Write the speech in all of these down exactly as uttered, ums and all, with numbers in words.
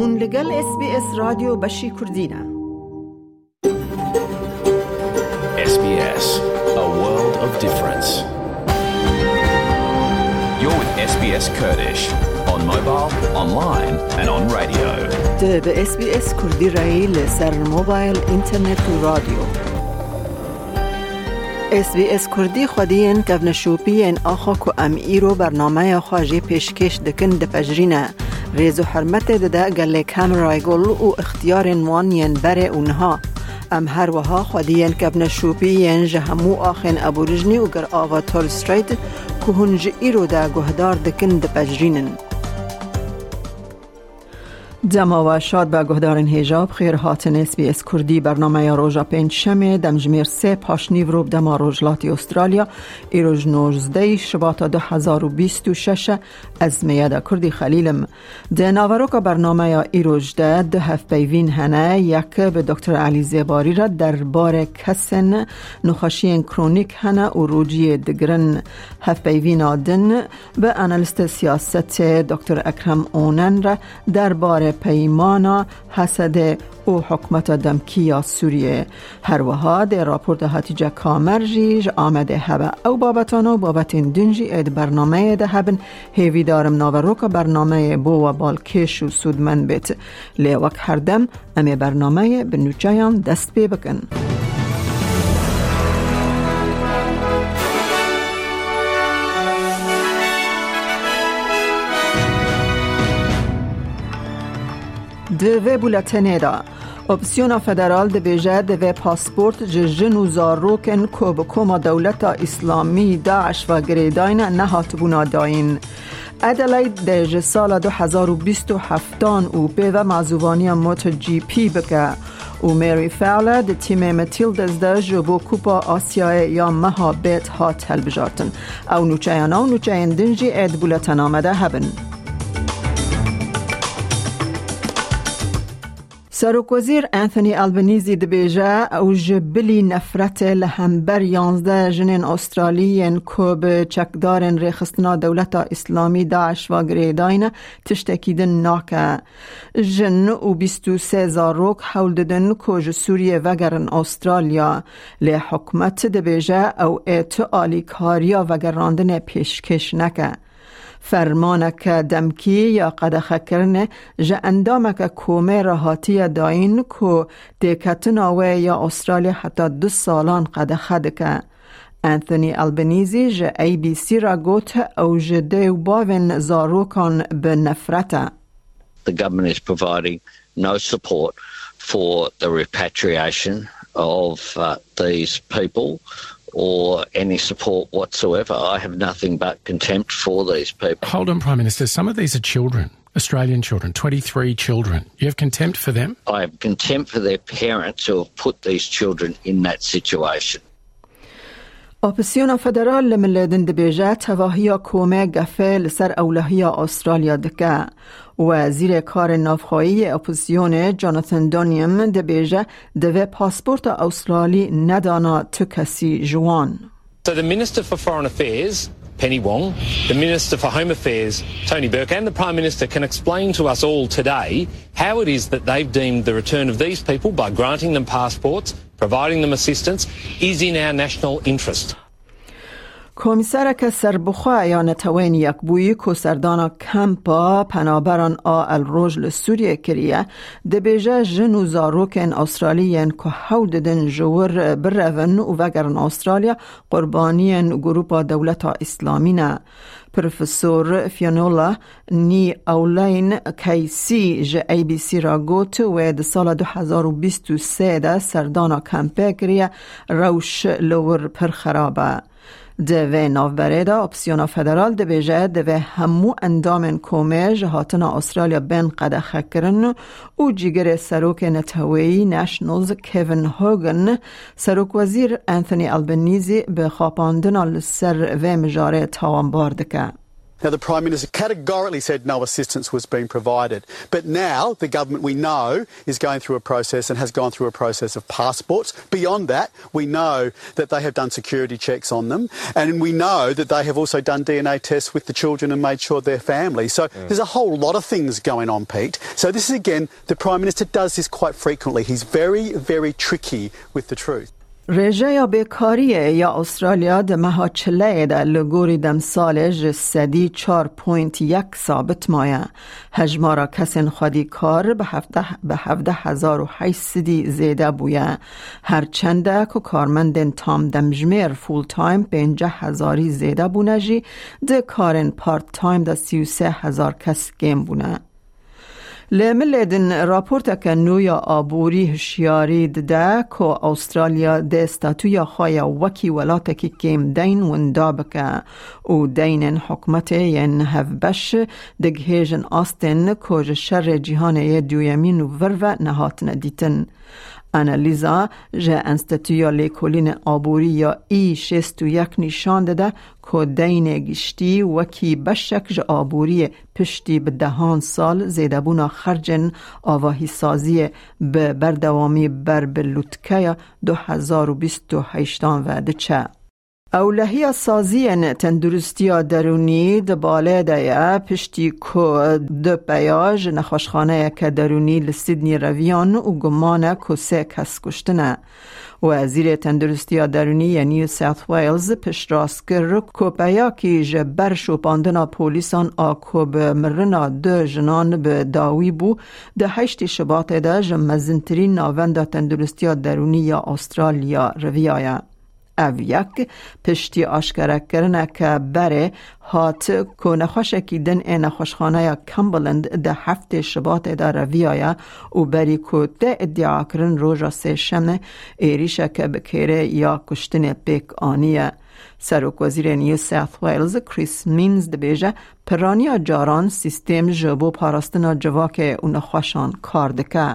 Hûn li gel S B S Radyo Beşî Kurdî ne. S B S, a world of difference. You're with S B S Kurdish, on mobile, online and on radio. Tu bi S B S Kurdî re yî li ser mobil, înternet û radyo. S B S Kurdî xwediyên kevneşopî yên axa ku em îro bernameya xwe jê pêşkêş dikin dipejirîne. Rêz û hurmetê dide gelê Cameron Royal û ixtiyarên wan yên berê û niha. Em her wiha xwediyên kevneşopî yên ji hemû axên Aborîjnî û Girava Torres Strait ku hûn ji îro de guhdar dikin dipejirînin. Dema we şad be guhdarên hêja, bi xêr hatin S B S Kurdî. Bernameya roja pêncşemê, demjimêr sê paşnîvro bi dema Rojhilatî Australya, îro ji nozdeh Şibata du hezar û bîst û şeş e, ez Meyeda Kurdî Xelîl im. Di naveroka bernameya îroj de du hevpeyvîn hene, yek bi Doktor Elî Zêbarî re derbarê kesên nexweşiyên kronîk hene û rojiyê digirin. Hevpeyvîna din bi analîsta siyasetê Doktor Ekrem Onen re derbarê peymana H S D û hikûmeta demkî ya Sûriyê. Her wiha dê raporta Hatîce Kamer jî ji Amedê hebe. Ew babetane û babetên din jî ê di bernameyê de hebin. Hêvîdar im naveroka bernameyê bo we balkêş û sûdmend bêt. Lê wek her dem, em ê bernameyê bi nûçeyan dest pê bikin. Di vê bûletenê de, Opsiyona Federal dibêje divê pasport ji jin û zarokên ku bi koma Dewleta Îslamî, DAIŞ, ve girêdayne nehatibûna dayîn. Adelaide de ji sala du hezar û bîst û heftan û pê ve mazûvaniya MotoGP bike û Mary Fowler di tîmê Matildas de ji bo Kupa Asyayê ya meha bêt hat hilbijartin. Ew nûçeyana û nûçeyên din jî ê di bûletena me de hebin. Serokwezîr Anthony Albanese dibêje, ew ji bilî nefretê li hember yanzdeh jinên Australî yên ku bi çekdarên rêxistina Dewleta Îslamî, DAIŞ, ve girêdayne, tiştekî din nake. Jin û bîst û sê zarok hewl didin ku ji Sûriyê vegerin Australya, lê hikûmet dibêje ew ê tu alîkariya vegerandinê pêşkêş neke. Fermaneke demkî ya qedexekirinê ji endameke komê re hatiye dayîn ku têketina wê ya Australya heta du salan qedexe dike. Anthony Albanese ji A B C re got, ew ji dê û bavên zarokan bi nefret e. The government is providing no support for the repatriation of, uh, these people or any support whatsoever. I have nothing but contempt for these people. Hold on, Prime Minister. Some of these are children, Australian children, twenty-three children. You have contempt for them? I have contempt for their parents who have put these children in that situation. Opsiyona Federal li milê din dibêje tevahiya komê gefê li ser ewlehiya Australya dike. Wezîrê Karên Navxweyî yê opozîsyonê Jonathan Doniam dibêje divê pasporta Australî nedana tu kesî ji wan. So the Minister for Foreign Affairs, Penny Wong, the Minister for Home Affairs, Tony Burke, and the Prime Minister can explain to us all today how it is that they've deemed the return of these people by granting them passports, providing them assistance, is in our national interest. Komîsereke serbixwe ya Neteweyên Yekbûyî ku serdana kempa penaberan a El Roj li Sûriyê kiriye, dibêje jin û zarokên Australî yên ku hewl didin ji wir birevin û vegerin Australya, qurbaniyên Grupa Dewleta Îslamî ne. Profesor Fionnuala Ni Aulain Casey ji A B C re got, wê di sala du hezar û bîst û sê de serdana kempê kiriye, rewş li wir pir xerab e. Di vê navberê de opsiyona federal dibêje, divê hemû endamên komê ji hatina Australya bên qedexekirin û cîgirê serokê neteweyî Nationals Kevin Hogan, serokwezîr Anthony Albanese bi xapandina li ser vê mijarê tawanbar dike. Now, the Prime Minister categorically said no assistance was being provided. But now the government, we know, is going through a process and has gone through a process of passports. Beyond that, we know that they have done security checks on them. And we know that they have also done D N A tests with the children and made sure they're family. So there's a whole lot of things going on, Pete. So this is, again, the Prime Minister does this quite frequently. He's very, very tricky with the truth. Rêjeya bêkariyê ya Australya di meha çileyê de li gorî demsalê ji sedî çar point yek sabit maye. Hejmara kesên xwedî kar bi hevdeh, bi hevdeh hezar û heşt sedî zêde bûye. Her çende ku karmendên tam demjimêr full time pênceh hezarî zêde bûne jî, di karên part time de sî û sê hezar kes kêm bûne. Li milê din raporteke nû ya aborî hişyarî dide ku Australya dê statûya xwe ya wekî welatekî kêm deyn winda bike û deynên hikûmetê yên hevbeş digihêjin astên ku ji şerê cîhanê yê duyemîn û vir ve nehatine dîtin. Annalisa ji Enstîtuya Lêkolînê Aborî ya E şêst û yek nîşan dide ku deynê giştî wekî beşek ji aboriyê piştî bi dehan sal zêdebûna xercên avahîsaziyê bi berdewamî ber bi lûtkeya du hezar û bîst û heştan ve diçe. Ewlehiya saziyên tenduristiya derûnî di balê de ye, piştî ku du peya ji nexweşxaneyeke derûnî li Sydney reviyan û guman e ku sê kes kuştine. Wezîrê Tenduristiya Derûnî yê New South Wales piştrast kir ku peyakî ji ber şopandina polîsan a ku bi mirina du jinan bi dawî bû, di heştê Şibatê de ji mezintirîn navenda tenduristiya derûnî ya Australya riviyaye. Ev yek piştî aşkerekirineke berê hat ku nexweşekî din ê nexweşxaneya Cumberland di heftê Şibatê de reviyaye û berî ku tê îdiakirin roja sêşemê êrîşeke bi kêrê ya kuştinê pêk aniye. Serokwezîrê New South Wales Chris Minns dibêje, piraniya caran sîstêm ji bo parastina civakê û nexweşan kar dike.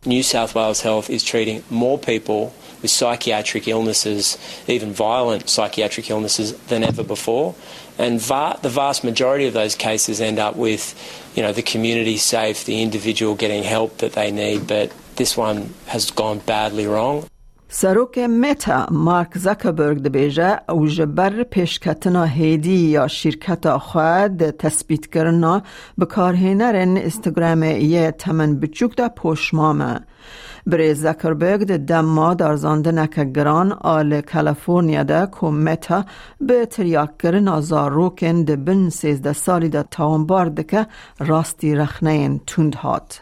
New South Wales Health is treating more people with psychiatric illnesses, even violent psychiatric illnesses, than ever before. And va- the vast majority of those cases end up with, you know, the community safe, the individual getting help that they need, but this one has gone badly wrong. Serokê Meta, Mark Zuckerberg dibêje, ew ji ber pêşketina hêdî ya şîrketa xwe di tespîtkirina bikarhênerên Instagramê yê temen biçûk de poşmam e. Birêz Zuckerberg di dema darzandineke giran a li California de ku Meta bi tiryakirina zarokên di bin sêzdeh salî de tawanbar dike, rastî rexneyên tund hat.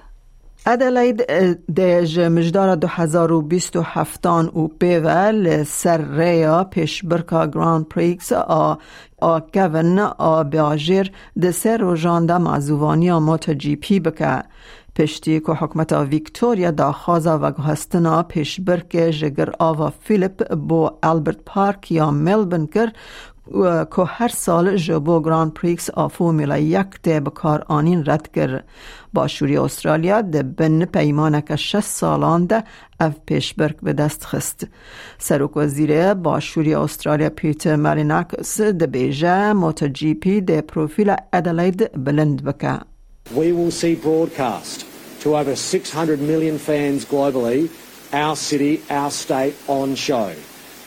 Adelaide, eh, de ji mijdara du hezar û bîst û heftan û pê ve li ser rêya pêşbirka Grand Prix a, a kevin a bajêr di sê rojan de mazûvaniya MotoGP bike. Piştî ku hikûmeta Victoria daxwaza veguhestina pêşbirkê ji Girava Phillip bo Albert Park ya Melbourne kir, ku her sal ji bo Grand Prix a Formula yek tê bikaranîn red kir. Başûrê Australya di bin peymaneke şeş salan de ev pêşbirk bi dest xist. Serokwezîrê Başûrê Australya Peter Malinauskas dibêje MotoGP dê profîla Adelaide bilind bike. We will see broadcast to over six hundred million fans globally, our city, our state on show,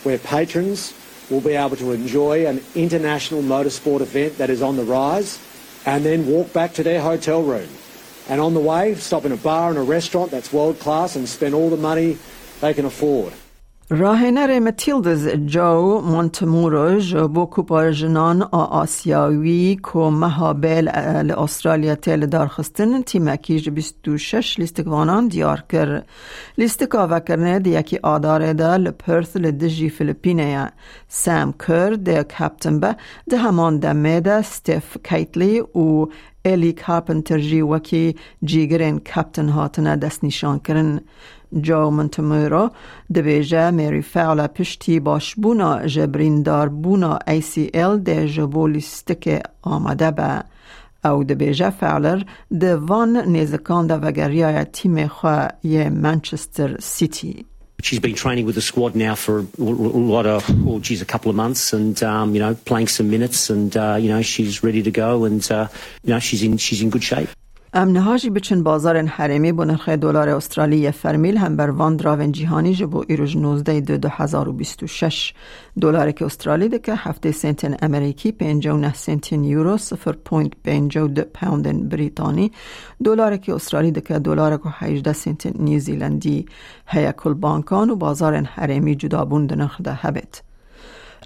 where patrons will be able to enjoy an international motorsport event that is on the rise and then walk back to their hotel room. And on the way, stop in a bar and a restaurant that's world class and spend all the money they can afford. Rahênerê Matildas Joe Montemuro ji bo Kupa Jinan a Asyawî ku meha bê li, li Australya tê lidarxistin, tîmekî ji bîst û şeş lîstikvanan diyar kir. Lîstika vekirinê di yekî Adarê de li Perth li dijî Filipînê ye. Sam Kerr dê kaptin be, di heman demê de Steph Catley û Ellie Carpenter jî wekî cîgirên kaptin hatine destnîşankirin. Joe Montemuro dibêje Mary Fowler piştî başbûna ji birîndarbûna A C L dê ji bo lîstikê amade be. Ew dibêje Fowler di van nêzikan de vegeriyaye tîmê xwe yê Manchester City. She's been training with the squad now for a, a lot of, oh, geez, a couple of months, and um, you know, playing some minutes, and uh, you know, she's ready to go, and uh, you know, she's in she's in good shape. Em niha jî biçin bazarên herêmî bo nirxê dolarê Australî yê fermî li hember van diravên cîhanî ji bo îro ji nozdeh du du hezar û bîst û şeş. Dolareke Australî dike heftê sentên Amerîkî, pêncî û neh sentên Euro, sifir point pêncî û du poundên Brîtanî. Dolareke Australî dike dolarek û hejdeh sentên New Zealandî. Heye ku li bankan û bazarên herêmî cudabûn di nirx de hebêt.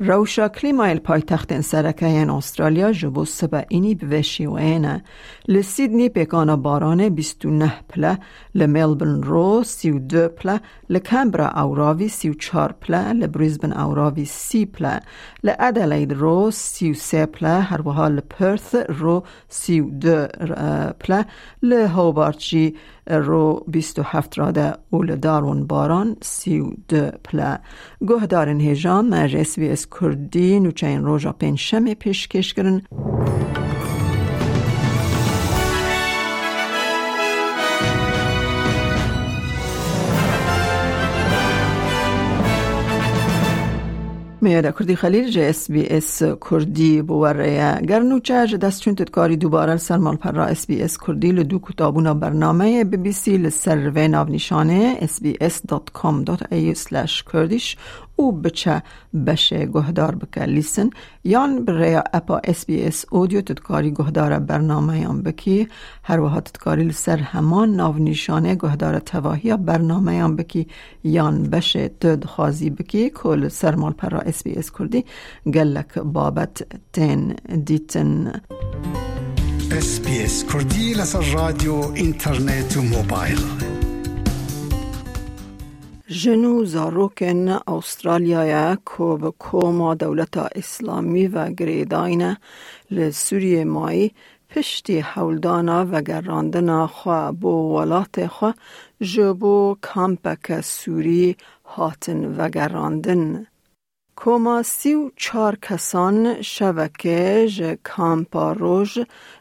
Rewşa klîmayê li paytextên sereke yên Australya ji bo sibe înî bi vê şêweyê ne. Li Sydney pêkana baranê bîst û neh pile, li Melbourne ro sî û du pile, li Canberra ewravî sî û çar pile, li Brisbane ewravî sî pile, li Adelaide ro sî û sê pile, her wiha li Perth ro sî û du pile, li Hobart jî ro bîst û heft rade û li Darwin baran sî û du pile. Guhdarên hêja me ji S B S Kurdî nûçeyên roja pêncşemê pêşkêş kirin. Meyada Kurdî Xelîl ji S B S Kurdî bi we re ye. Ger nûçe ji dest çûn, tu dikarî dubare li ser malpera S B S Kurdî li dû kutabûna bernameyê bibîsî li ser vê navnîşanê S B S dot com dot A U slash Kurdish û biçe beşê guhdar bike, listen, yan bi rêya appa S B S Audio tu dikarî guhdara bernameyan bikî. Her wiha tu dikarî li ser heman navnîşanê guhdara tevahiya bernameyan bikî yan beşê tu dixwazî bikî ku li ser malpera S B S Kurdî gelek babet tên dîtin. S B S Kurdî li ser radyo, înternet û mobil. Jin û zarokên Astralyayê ku bi koma Dewleta Îslamî ve girêdayî ne, li Sûriyê mayî piştî hewldana vegerandina xwe bo welatê xwe ji bo kampeke Sûrî hatin vegerandin. Koma sî û çar kesan şevekê ji kampa Roj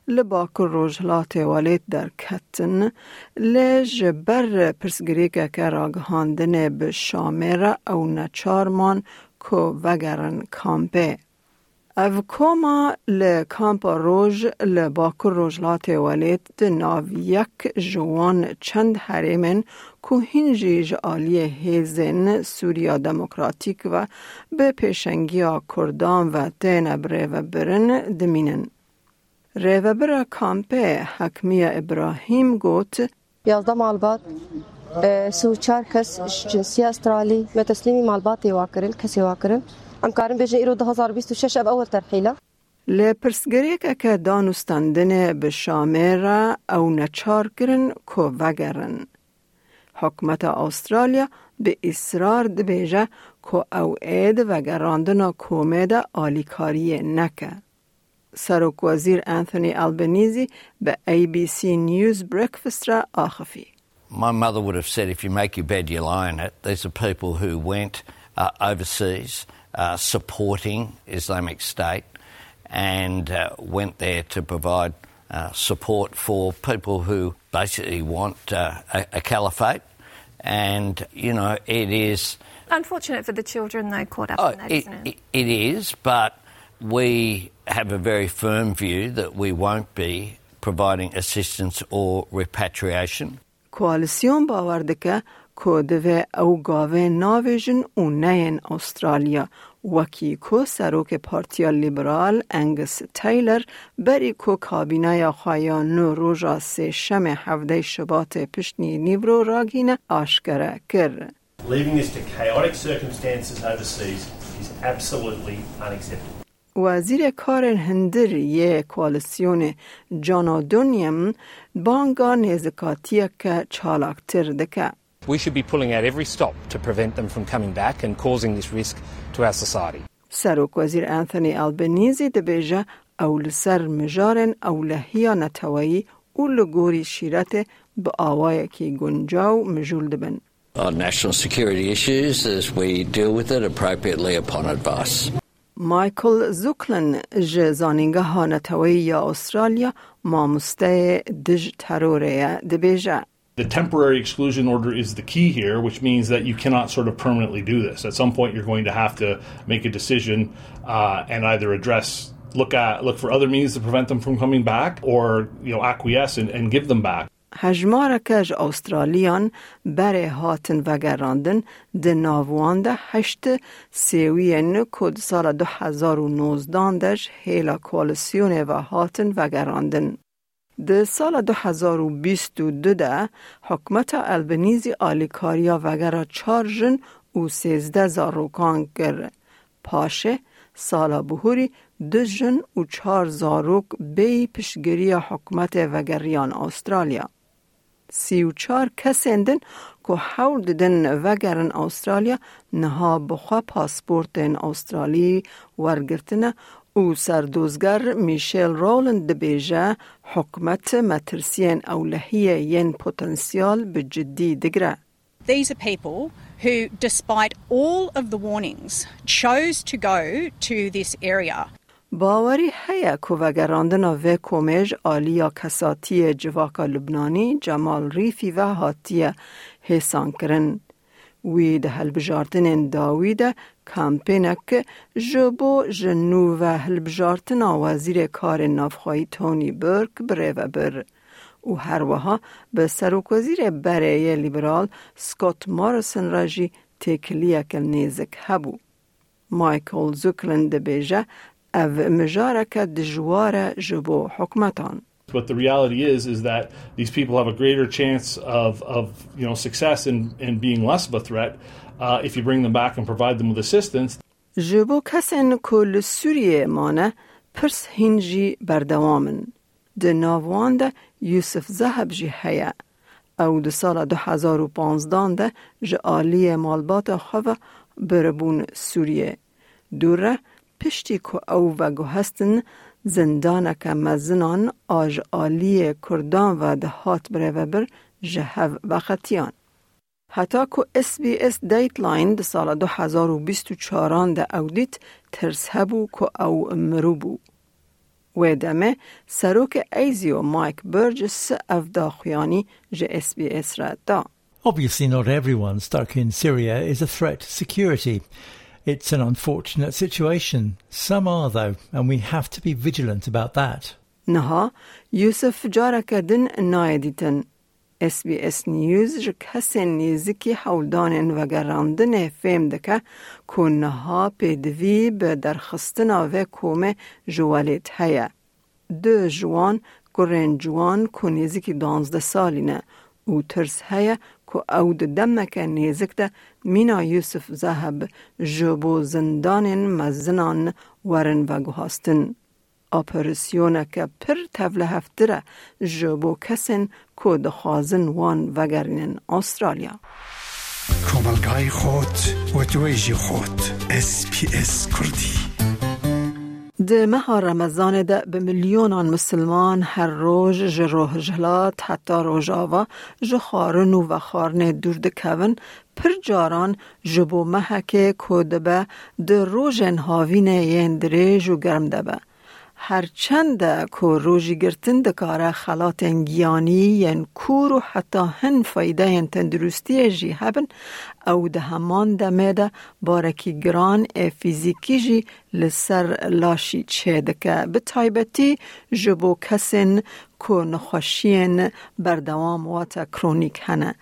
li Bakur Rojhilatê Welêt derketin, lê ji ber pirsgirêkeke ragihandinê bi Şamê re ew neçar man ku vegerin kampê. Ev koma li Kampa Roj li Bakur Rojhilatê Welêt di nav yek ji wan çend herêmên ku hîn jî ji aliyê hêzên Sûriya Demokratîk ve bi pêşengiya Kurdan ve têne birêvebirin dimînin. Rêvebira kampê Hekmiye Îbrahîm got, Yazdeh malbat, e, sî û çar kes ji cinsiya Astralî me teslîmî malbatê wa kirin, kesê wa kirin. Em karin bêjin îro du hezar bîst û şeş ev ewil terhîl e. Li pirsgirêkeke danûstandinê bi Şamê re ew neçar kirin ku vegerin. Hikûmeta Astralya bi îsrar dibêje ku ew ê di vegerandina komê de alîkariyê neke. Serokwezîr Anthony Albanese bi A B C News Breakfast re axifî. My mother would have said, "If you make your bed, you lie in it." These are people who went, uh, overseas, uh, supporting Islamic State and, uh, went there to provide, uh, support for people who basically want, uh, a, a caliphate. And, you know, it is unfortunate for the children, though, caught up, oh, in that, it, isn't it? It, it is, but we have a very firm view that we won't be providing assistance or repatriation. Koalisyon bawer dike ku divê ew gavê navêjin û neyên Astralya, wekî ku serokê Partiya Liberal Angus Taylor berî ku kabîneya xwe ya nû roja sêşemê hevdeh Şubatê piştî nîvro ragihîne aşkere kir. Leaving this to chaotic circumstances overseas is absolutely unacceptable. Wezîrê Karên Hundir yê Koalisyonê John O'Donoghue banga nêzikatiyeke çalaktir dike. We should be pulling out every stop to prevent them from coming back and causing this risk to our society. Serokwezîr Anthony Albanese dibêje ew li ser mijarên ewlehiya neteweyî û li gorî şîretê bi awayekî guncaw mijûl dibin. On national security issues, as we deal with it appropriately upon advice. Michael Zucklin ji Zanîngeha Neteweyî ya Astralya, mamosteyê dij terorê ye, dibêje, The temporary exclusion order is the key here, which means that you cannot sort of permanently do this. At some point, you're going to have to make a decision uh, and either address, look at, look for other means to prevent them from coming back, or you know, acquiesce and, and give them back. Hejmareke ji Awstraliyan berê hatin vegerandin, di nav wan de heşt sêwiyên ku di sala du hezar û nozdan de ji hêla koalîsyonê ve hatin vegerandin. Di sala du hezar û bîst û du de hikûmeta Albanîzî alîkariya vegera çar jin û sêzdeh zarokan kir. Paşê sala bihurî du jin û çar zarok bêyî piştgiriya hikûmetê vegeriyan Awstralya. Sî û çar kesên din ku hewl didin vegerin Awstralya, niha bi xwe pasportên Awstralî wergirtine û serdozger Michelle Rowland dibêje, hikûmet metirsiyên ewlehiyê yên potansiyel bi cidî digire. These are people who, despite all of the warnings, chose to go to this area. Bawerî heye ku vegerandina vê komê ji aliya kesatiyê civaka Lubnanî Cemal Rîfî ve hatiye hêsankirin. Wî di hilbijartinên dawî de kampênek ji bo ji nû ve hilbijartina Wezîrê Karên Navxweyî Tony Burke birêve bir û her wiha bi Serokwezîrê berê yê Lîberal Scott Morrison re jî têkiliyeke nêzik hebû. Michael Zucklin dibêje, ev mijareke dijwar e ji bo hikûmetan. But the reality is, is that these people have a greater chance of, of you know, success in, in being less of a threat uh, if you bring them back and provide them with assistance. Ji bo kesên ku li Sûriyeyê mane, pirs hîn jî berdewam in. Di nav wan de Yusuf Zaheb jî heye. Ew di sala du hezar û panzdan de ji aliyê malbata xwe ve biribûn Sûriyê. Dûre piştî ku ew veguhestin, zindaneke mezinan a ji aliyê Kurdan ve dihat birêvebir ji hev veqetiyan. Heta ku S B S Dateline di sala du hezar û bîst û çaran de ew dît, tirs hebû ku ew mirû bû. Wê demê serokê ASIO Mike Burgess ev daxuyanî ji S B S re da. Obviously, not everyone stuck in Syria is a threat to security. It's an unfortunate situation. Some are, though, and we have to be vigilant about that. Niha Yusuf careke din nayê dîtin. S B S News ji kesên nêzikî hewldanên vegerandinê fêm dike ku niha pêdivî bi derxistina vê komê ji welêt heye. Du ji wan kurên ciwan ku nêzikî duwazdeh salî ne û tirs heye ku ew di demeke nêzik de mîna Yusuf Zaheb ji bo zindanên mezinan werin veguhastin. Operasyoneke pir tevlihevtir e ji bo kesên ku dixwazin wan vegerînin Astralya. Komelgayê xot û wêjî xot S B S Kurdî. Di meha Remezanê de bi milyonan misilman her roj ji rojhilat heta rojava ji xwarin û vexwarinê dûr dikevin, pir caran ji bo mehekê ku dibe di rojên havînê yên dirêj û germ de be. Her çend e ku rojî girtin dikare xelatên giyanî yên kûr û heta hin faydeyên tenduristiyê jî hebin, ew di heman demê de barekî giran ê fîzîkî jî li ser laşî çêdike, bi taybetî ji bo kesên ku nexweşiyên berdewam wate kronîk hene.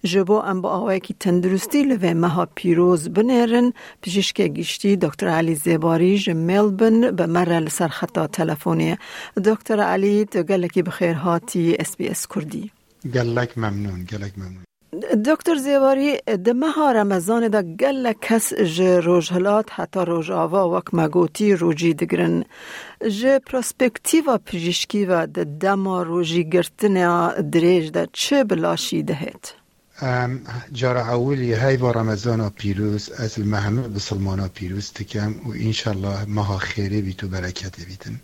Ji bo em bi awayekî tenduristî li vê meha pîroz binêrin, pijîşkê giştî Doktor Elî Zêbarî ji Melbourne bi me re li ser xeta telefonê ye. Doktor Elî, tu gelekî bi xêr hatî S B S Kurdî. Gelek memnûn, gelek memnûn. Doktor Zêwarî, di meha Remezanê de gelek kes ji rojhilat heta rojava, wek me gotî, rojî digirin. Ji perspektîfa pijîşkî ve di dema rojîgirtina dirêj de çi bi laşî dihêt? Em, cara ewilî heyva Remezana pîroz ez li me hemû bisilmana pîroz dikim û înşallah meha xêrê bît û bereketê bîtin.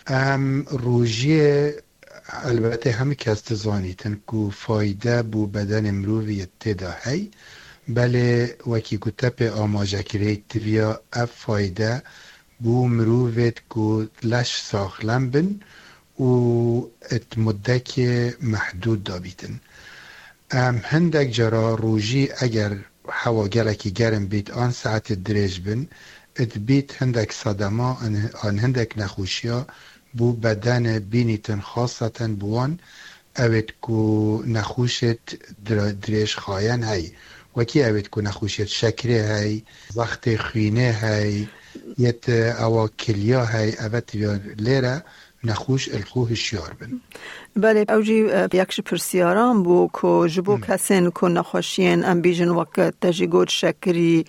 Em rojiyê Elbetê hemî kes dizanîtin ku fayde bo bedenê mirovî yê tê de hey, belê wekî ku te pê amaje kirî, tiviya ev fayde bo mirovêt ku leş saxlem bin û it muddekê mehdûd de bîtin. Em hindek cara rojî eger hewa gelekî germ bît an saetê dirêj bin, dibît hindek sedema an, an hindek nexweşiya bo bedenê bînîtin, xaseten bi wan ewêt ku nexweşêt dire-, dirêjxayen hey. Wekî ewêt ku nexweşiyêt şekrê hey, zextê xwînê hey, yêt ewa kiliya hey, eve tiya lêre nexweş ilxû hişyar bin. Belê, ew jî, e, yek ji pirsiyaran bû ku ji bo Hmm. kesên ku nexweşiyên, em bîjin, wek te jî got, şekirî,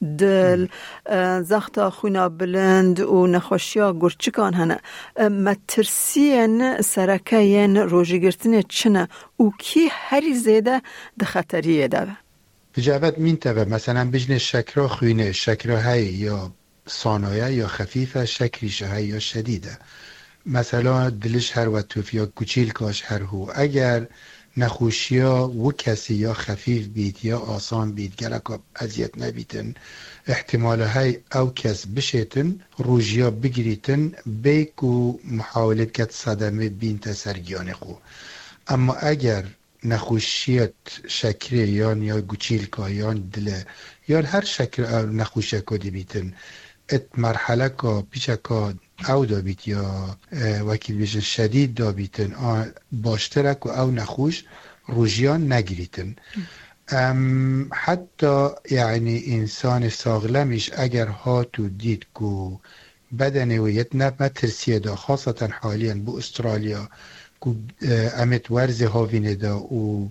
dil, Hmm. e, zexta xwîna bilind û nexweşiya gurçikan hene. E, metirsiyên sereke yên rojîgirtinê çi ne û kî herî zêde di xeteriyê de be? Bi ceved mîn te ve, meselen, bijnê şekra xwînê, şekra hey ya sanoye ya xefîf e, şekrî ji hey ya şedîd e. Mesela, diliş her we tuf ya guçîlkaş her hû. Eger nexweşiya wi kesî ya xefîf bît, ya asan bît, geleka eziyet nebîtin, ihtimala hey ew kes bişêtin, rojiya bigirîtin, bê ku muhawilê biket sedemê bînte ser giyanê xwe. Emma eger nexweşiyet şekrê yan ya guçîlka yan dile yan her şekil ew nexweşiyeko dibîtin, it merheleka piçeka ew dabît ya, e, wekî bêjin şedîd dabîtin, a, baştir e ku ew nexweş rojiyan negirîtin. Em heta, yanî, însanê saxlemîş eger hat û dît ku bedenê wê yet ne metirsiyê de, xaseten haliyen bo Australya ku, e, em ê di werzê havînê de û,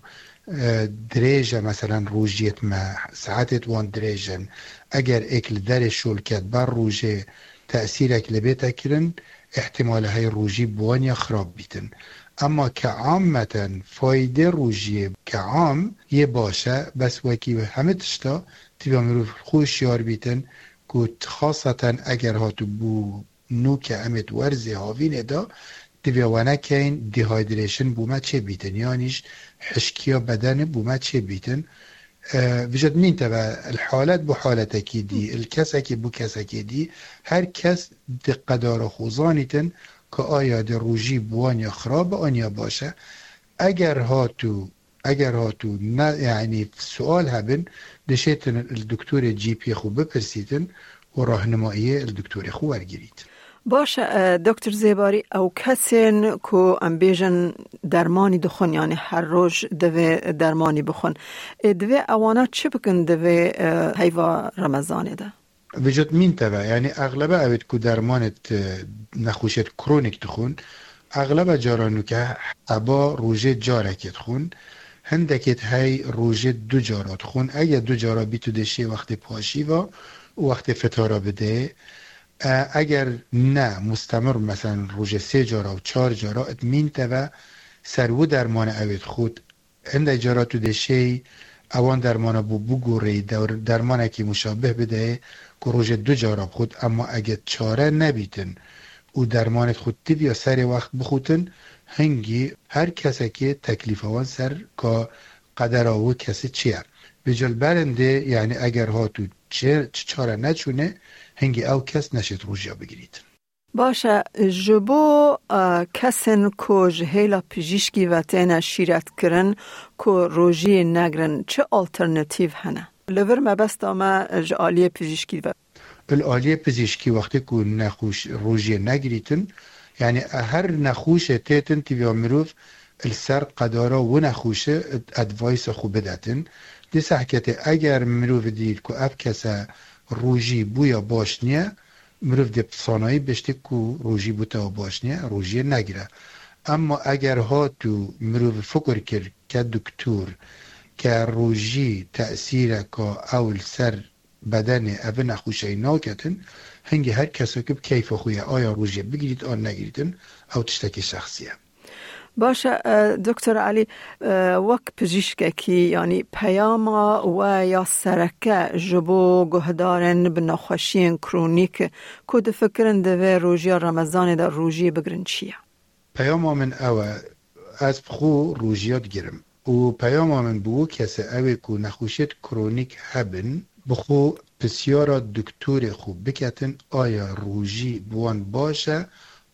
e, dirêj e, meselen, rojiyêt me, saetêt wan dirêj in. Eger êk li derê şol ket ber rojê tesîrek li bête kirin, ihtimale hey rojî bi wan ya xirab bîtin. Emma ke ammeten faydê rojiyê ke am yê baş e, bes wekî hemî tişta tiviya mirov xwe hişyar bîtin, ku xaseten eger hatibû nûke em ê di werzê havînê de, divê we nekeyin, dehydration bû me çê bîtin, yanî jî hişkiya bedenê bû me çê bîtin. E, vijot nîn te ve, il halet bû haletekî dî, il kesekî bû kesekî dî, her kes di qedara xwe zanîtin, ku aya di rojî bi wan ya xirab e, an ya baş e. Eger hatû Eger hatû ne, yanî sual hebin, dişêtin li doktorê G P xwe bipirsîtin û rahnimayiyê li doktorê xwe wergirît. Baş e, e, Doktor Zêbarî, ew kesên ku em bêjin dermanî dixwin, yanî her roj divê dermanî bixwin. Ê, divê ewana çi bikin divê, e, heyva Remezanê de? Vijot mîn te ve, yanî exlebe ewêt ku dermanêt, e, nexweşiyêt kronîk dixwin, exlebe cara nûke heba rojê carekê dixwin, hindekêt hey rojê du cara dixwin. Eger du cara bî tu dê şê wextê paşîva û wextê fitara bidê. E, eger ne, mustemir, meselen, rojê sê cara û çar cara, it mîn te ve ser wi dermane ewêt xwit. Hindek cara tu dê şêy ewan dermana bû bigoreyî, der-, dermanekî muşabih bideyê ku rojê du cara bixwit, emma ege çare nebîtin û dermanê xwe tiviya serê wext bixwitin, hingî her kesekê teklîfa wan ser ka qedera wî kesî çi ye. Bi cilberindê, yanî eger hat û çi, çi çare neçûne, hingî ew kes neşêt rojiya bigirîtin. Baş e, ji bo, e, kesên ku ji hêla pijîşkî ve têne şîretkirin ku rojiyê negrin, çi alternatîf hene? Li vir mebesta me ji aliyê pijîşkî ve. Li aliyê pijîşkî wextê ku nexweş rojiyê negirîtin, yanî her nexweşê têtin tiviya mirov li ser qedara wi nexweşe advice xwe bidetin. Di sehketê eger mirov dît ku ev kese rojî bûya baş niye, mirov dê bi sanayî biştê ku rojî bû te baş niye, rojiyê negire. Emma eger hat û mirov fikir kir ke doktor, ke rojî tesîreka ew li ser bedenê ev nexweşeyî naketin, hingî her kesek bi keyfa xwe ye, aya rojê bigirît an negirîtin, ew tiştekî şexsî ye. Baş e, e, Doktor Elî, e, wek pijîşkekî, yanî peyama we ya sereke ji bo guhdarên bi nexweşiyên kronîk ku difikirin di vê rojiya Remezanê de rojiyê bigirin çi ye? Peyama min ew e, ez bi xwe rojiya digirim. Û peyama min bi wî kesê ew ê ku nexweşiyêt kronîk hebin, bi xwe pisyara doktorê xwe biketin, aya rojî bi wan baş e,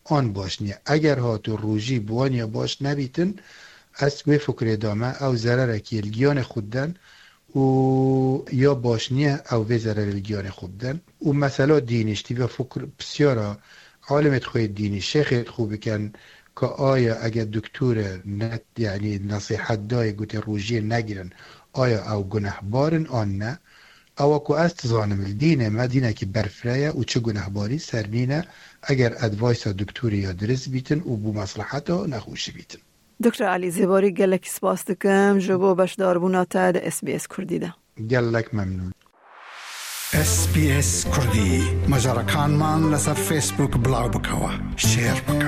an baş niye. Eger hatû rojî bi wan ya baş nebîtin, Ez wê fikrê dame, ew zererekî li giyanê xwe diden û ya baş niye ew vê zererê li giyanê xwe biden. Û mesela dînî ji tî ve fikr pisyara alimê xwe yê dînî, şêxê xwe bikin ka aya eger doktor e ne, yanî nesîhet dayê gotê rojiyê negirin, aya ew gunehbar in an ne? Ewa ku ez dizanim li dînê me dînekî berfireh ye û çi gunehbarî ser nîne eger advice-a doktorî ya dirist bîtin û bo mesleheta nexweşî bîtin. Doktor Elî Zêbarî, gelekî spas dikim ji bo beşdarbûna te di S B S Kurdî de. Gelek memnûn. S B S Kurdî, macarekanman li ser Facebook bilav bike, share bike.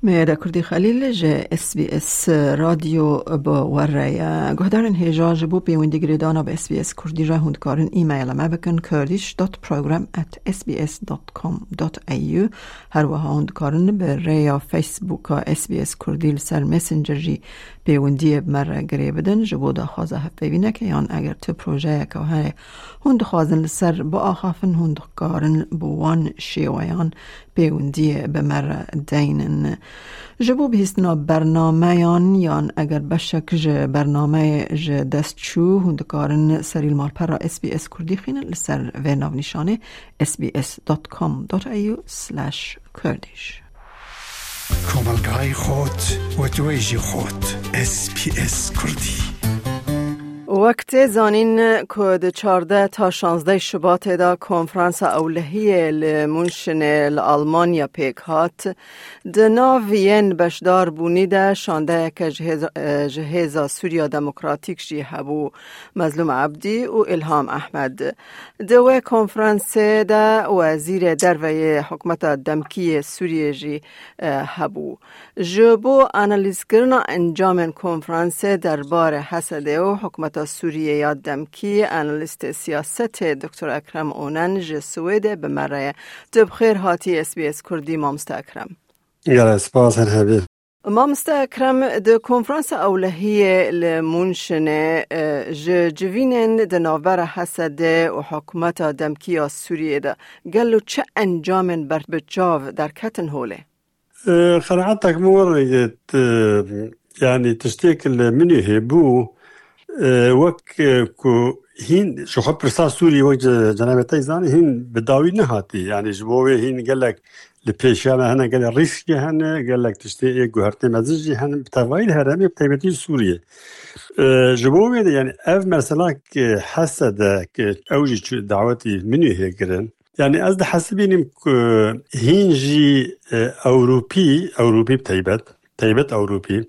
Meyeda Kurdî Xelîl ji S B S Radyo bi we re ye. Guhdarên hêja, ji bo pêwendî girêdana bi S B S Kurdî re hûn dikarin e-maila me bikin, kurdish dot program at S B S dot com dot A U. Her wiha hûn dikarin bi rêya Facebooka S B S Kurdî li ser Messenger jî pêwendiyê bi me re girê bidin. Ji bo daxwaza hevpeyvîneke yan eger tu projeyeke heye hûn dixwazin li ser biaxafin, hûn dikarin bi wan şêweyan pêwendiyê bi me re deynin. Ji bo bihîstina bernameyan yan eger beşek ji bernameyê ji dest çû, hûn dikarin serî li malpera S B S Kurdî xînin li ser vê navnîşanê S B S dot com dot A U slash Kurdish. Komelgayê xot, wetweyjî xot, S B S Kurdî. Wek tê zanîn ku di çardeh ta şazdeh Şubatê de konferansa ewlehiyê li Münşenê li Almanya pêk hat. Di nav yên beşdar bûnî de şandeyeke ji hêza, ji Hêza Sûriya Demokratîk jî hebû, Mezlûm Ebdî û Îlham Ehmed. Di wê konferansê de Wezîrê Derve yê Hikûmeta Demkî yê Sûriyê jî, e, hebû. Ji bo analîzkirina encamên konferansê derbarê Hesedê û Hikûmeta Sûriyê ya Demkî, analîstê siyasetê Doktor Ekrem Onen ji Swêdê bi me re ye. Tu bi xêr hatî S B S Kurdî, mamoste Ekrem. Gelek spas, her hebî. Mamoste Ekrem, di konferansa ewlehiyê li Münşenê, e, ji civînên di navbera Hesedê û hikûmeta demkî ya Sûriyê de gelo çi encamên ber bi çav derketin holê? E, qenaetek min were ye, t-, yanî tiştê ku li Munîhê bû, e, wek, e, ku hîn ji xwe pirsa Sûrî wek ce-, cenabê te zanî hîn bi dawî nehatî. Yanî ji bo wê hîn gelek li pêşiya me hene, gelek rîskê hene, gelek tiştê ê guhertê mezin jî hene, bi tevayî li herêmê, bi taybetî li Sûriyê. E, ji bo wê de, yanî ev mesela ki Hesede, ki ew jî çû dawetî Munîhê kirin. Yanî ez dihesibînim ku hîn jî, e, Ewropî, Ewropî bi taybet, taybet Ewropî,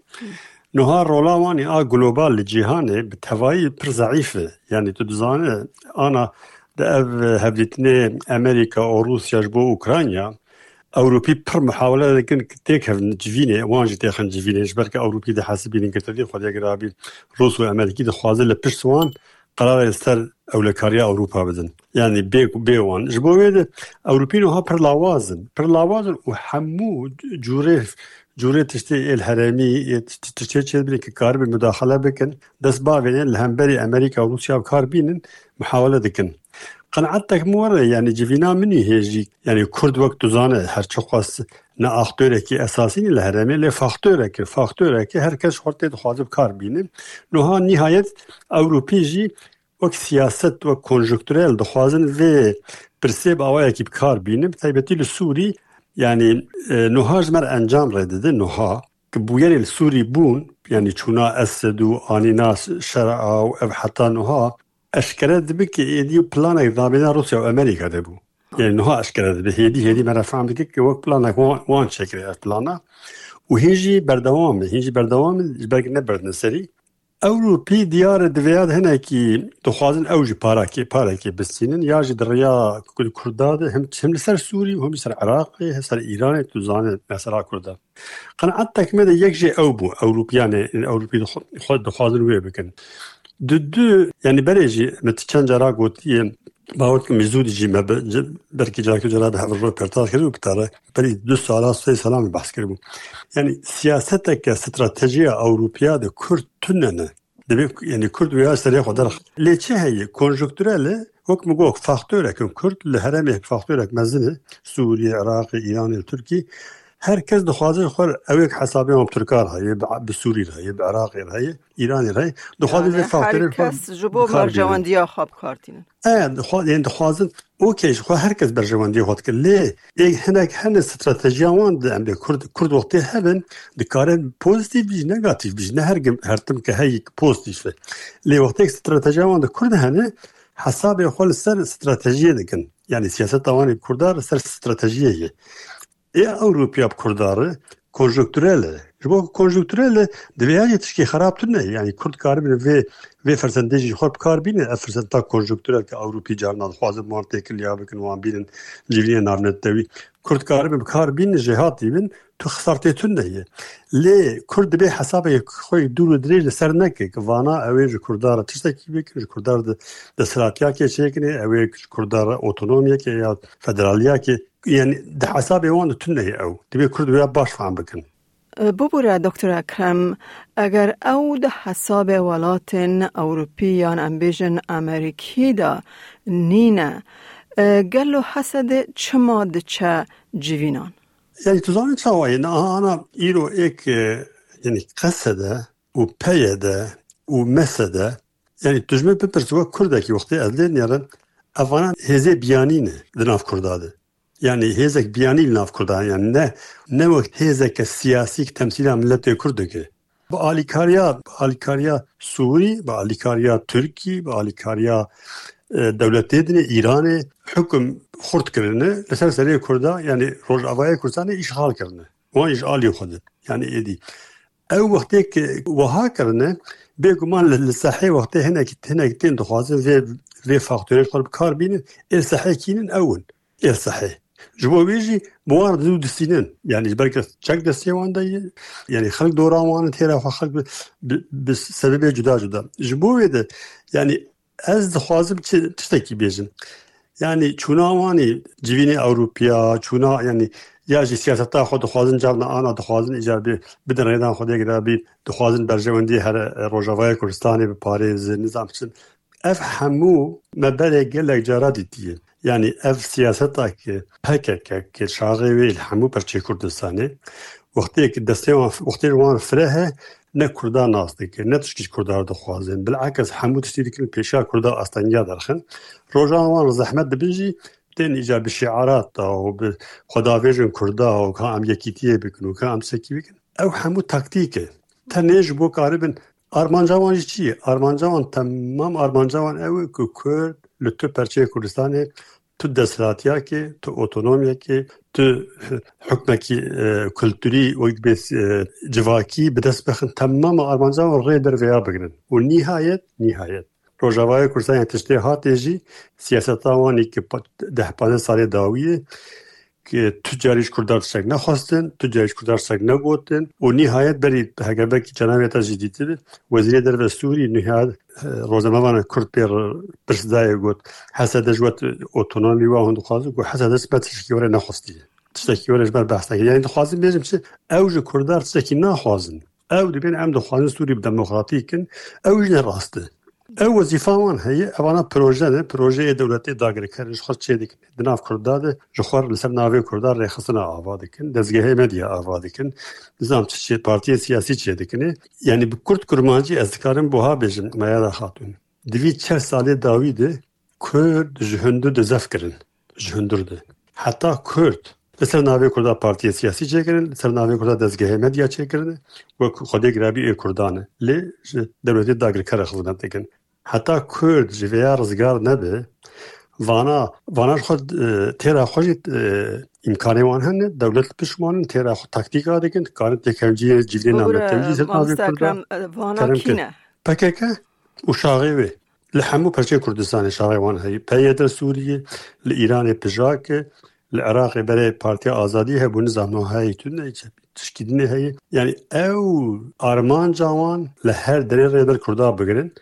niha rola wan a global li cîhanê bi tevayî pir zeîf e. Yanî tu dizane, ana di ev hevdîtinê Amerîka û Rûsya ji bo Ukrayna, Ewropî pir muhawele dikin ku têkevin civînê, wan jî têxin civînê, ji ber ku Ewropî dihesibînin girtiyê xwe dê girabî Rûs û Amerîkî dixwaze li pişt wan qerarê li ser ewlekariya Ewropa bidin. Yanî bê, bê wan. Ji bo wê de Ewropî niha pir lawaz in. Pir lawaz in û hemû cûrê, cûrê tiştê ê li herêmî, ê tişt-, tiştê çêdibîne ki karibin mudaxele bikin, dest bavêne li hemberî Amerîka û Rûsya bi kar bînin, muhawele dikin. Qenaetek min were, yanî civîna Munîhê jî, yanî Kurd wek tu zane, her çi xwest ne aktorekî esasî ne li herêmê, lê faktorek e, faktorek e, her kes xwe tê dixwaze bi kar bîne. Niha nihayet Ewropî jî wek siyaset, wek konjonkturel dixwazin vê pirsê bi awayekî bi kar bînin, bi taybetî li Sûrî, yanî, e, niha ji me re encam rê dide, niha ki bûyerê li Sûrî bûn, yanî çûna Esed û anîna Şerea û ev heta niha eşkere dibe ki êdî planek dabêna Rûsya û Amerîka de bû. Yanî niha eşkere dibe. Hêdî, hêdî me re fehm dike ki wek planek wan, wan çêkiriye ev plana. Û hîn jî berdewam e, hîn jî berdewam e, ji ber ki neberdine serî. Ewropî diyar e di vêya de hinekî dixwazin ew jî parakê, parekê bistînin, ya jî di riya Kur-, Kurda de him, him li ser Sûrî û him li ser Iraqê, him ser Îranê, tu zane mesela Kurda. Qenaetek me de yek jê ew bû, Ewropiyanê, Ewropî dixwe-, xwe dixwazin wê bikin. Di du, yanî berê jî me ti çend cara gotiye, bawer dikim zû dî jî me bi, ci-, belkî carekê cara bi hev re röportaj kir û bi te re berî du sala, sê sala me behs kiribû. Yanî siyaseteke, stratejiya Ewropiya de Kurd tune ne. Divê, yanî Kurd wê ya serê xwe derx. Lê çi heye? Konjonkturel e, wek min got, faktorek in Kurd li herêmê faktorek mezin e, Sûriyê, Iraqê, Îranê, Tirkî. Her kes dixwaze ji xwe ew yek hesabê wan bi Tirkan re heye, bi, bi Sûrî re heye, bi Iraqê re heye, Îranê re heye. Dixwaze Yani vê her faktorê kes ji bo bi kar bîne. Berjewendiya xwe bi kar tînin. E, dixwa-, yani dixwazin, okey, ji xwe her kes berjewendiyê xwe dike. Lê ê hinek hene stratejiya wan de em bê Kurd, Kurd wextê hebin, dikare pozîtîf bî, negatîf bî. Ne her gim-, her tim ke heyî pozîtîf e. Lê wextê stratejiya wan de Kurd hene, hesabê xwe li ser stratejiyê dikin. Yani siyaseta wan ê Kurda li ser stratejiyê ye. Ê Ewropiya bi Kurda re konjonkturel e. Ji bo ku konjonkturel e, divê ya jî tişkî xerab tune. Yani Kurd karibin vê, vê fersendê jî xwe bi kar bîne. Ev fersenda konjonkturel ke Ewropî carna dixwazin wan têkiliya bikin, wan bînin civînê navnetewî. Kurd karibin bi kar bîne, jêhatî bin, tu xisartê tune ye. Lê Kurd dibê hesabê xwe dûr û dirêj li ser neke, ki vana ew ê ji Kurda re tiştekî bikin, ji Kurda re de-, desthilatiyakê çêkinê, ew ê ji Kurda re otonomiyekê ya federaliyakê Yani di hesabê wan de tune ye ew. Divê Kurd wê baş fehm bikin. Bibûre Doktor Ekrem, eger ew di hesabê welatên Ewropî yan em bêjin Amerîkî de nîne, e, gelo Hesede çima diçe civînan? Yani tu zanî çawa ye? Niha ana îro êk, e, yani Qesede û Peyede û Mesede, yani tu ji min bipirs, wek Kurdekî wextê ez lê nêrim, evana hêzê biyanî ne di nav Kurda de. Yani hêzek biyanî li nav Kurdan, yani ne, ne wek hêzeke siyasî ki temsîla miletê Kurd dike. Bi alîkariya, bi alîkariya Sûrî, bi alîkariya Tirkî, bi alîkariya, e, dewletê dinê, Îranê, hukum xurt kirine, li ser serê Kurda, yani Rojavayê Kurdistanê îşxal kirine. Wan îşalî xwe de. Yani êdî. Ew wextê ki wiha kirine, bêguman li, li sehê wextê hinek, hinek tên dixwazin vê, vê faktorê xwe bi kar bînin, ê sehê kînin ew in. Ê sehê. Ji bo wê jî bi wan re dû distînin. Yani ji ber ke çek destê wan de ye. Yani xelk dora wan in, têra xwe xelk bi, bi, bi sebebê cuda cuda. Ji bo wê de, yani ez dixwazim çi, tiştekî bêjim. Yani çûna wan ê civînê Ewropiya, çûna yani ya jî siyaseta xwe dixwazin carna ana dixwazin îcar bê, bidin rêdan xwe dê girabî, dixwazin berjewendiyê here, e, Rojavayê Kurdistanê biparêzin, nizam çi. Ev hemû me berê gelek cara dîtiye. Yani ev siyaseta ki P K K ki şaxê wê li hemû perçê Kurdistanê, wextê ki destê wan, wextê ji wan re fireh e, ne Kurda nas dike, ne tişkî ji Kurda re dixwazin. Bilakis hemû tiştî dikin pêşiya Kurda astengiya derxin. Rojan wan re zehmet dibin jî, tên îcar bi şiarat da û bi xwedavêjin Kurda û ka em yekîtiyê bikin û ka em sekî bikin. Ew hemû taktîk e. Tenê ji bo karibin armanca wan jî çi ye? Armanca wan, temam armanca wan ew e ku Kurd li tu perçeyê Kurdistanê, tu desthilatiyakê, tu otonomiyekê, tu hukmekî, e, kulturî û bê, e, civakî bi dest bixin. Temama armanca wan rê ber vêya bigrin. Û nîhayet, nîhayet Rojavayê Kurdistanê tiştê hatê jî siyaseta wan ê ki pa-, deh panzdeh salê dawî ye, ki tu carî ji Kurdan tiştek nexwestin, tu carî ji Kurdan tiştek negotin û nîhayet berî heger belkî cenabê te jî dîtibi, Wezîrê Derve Sûrî nîhayet, e, rojnamevana Kurd pê re pirs dayê got, Hesede ji we otonomî wa hûn dixwazin, got, Hesede ji me tiştekî were nexwestiye. Tiştekî were ji ber behs nekir. Yani dixwazim bêjim çi? Ew ji Kurdan tiştekî naxwazin. Ew dibên em dixwazin Sûrî bi demokratî kin. Ew jî ne rast e. Ew wezîfa wan heye, evana proje ne, projeyê dewletê dagirker ji xwe çê dikin. Di nav Kurda de ji xwe li ser navê Kurda rêxistina ava dikin, dezgehê medya ava dikin, nizam çi çê, partiyê siyasî çê dikin. Yani bi kurt kurmancî ez dikarim buha bêjim, Meyada Xatûn. Di vî çel salê dawî de Kurd ji hundir de zef kirin. Ji hundir de. Heta Kurd li ser navê Kurda partiyê siyasî çêkirin, li ser navê Kurda dezgehê medya çêkirine, wek Xwedê girabî ê Kurdan e. Lê ji dewletê dagirker re xizmet dikin. Heta Kurd ji vêya rizgar nebe, vana, vana ji xwe, e, têra xwe jî, e, îmkanê wan hene, dewlet li pişt wan in, têra xwe taktîka dikin, dikarin têkevciyê civînê Bibûre, navnetewî jî ser navê Kurda. Ekrem, e, vana kerem kî kin ne? P K K û şaxê wê. Li hemû perçeyên Kurdistanê şaxê wan heye. P Y D Sûriyê, li Îranê pijak e, li Iraqê berê Partiya Azadî hebû, nizam niha heye tune, tişkî dinê heye. Yani ew armanca wan li her derê rê ber Kurda bigirin.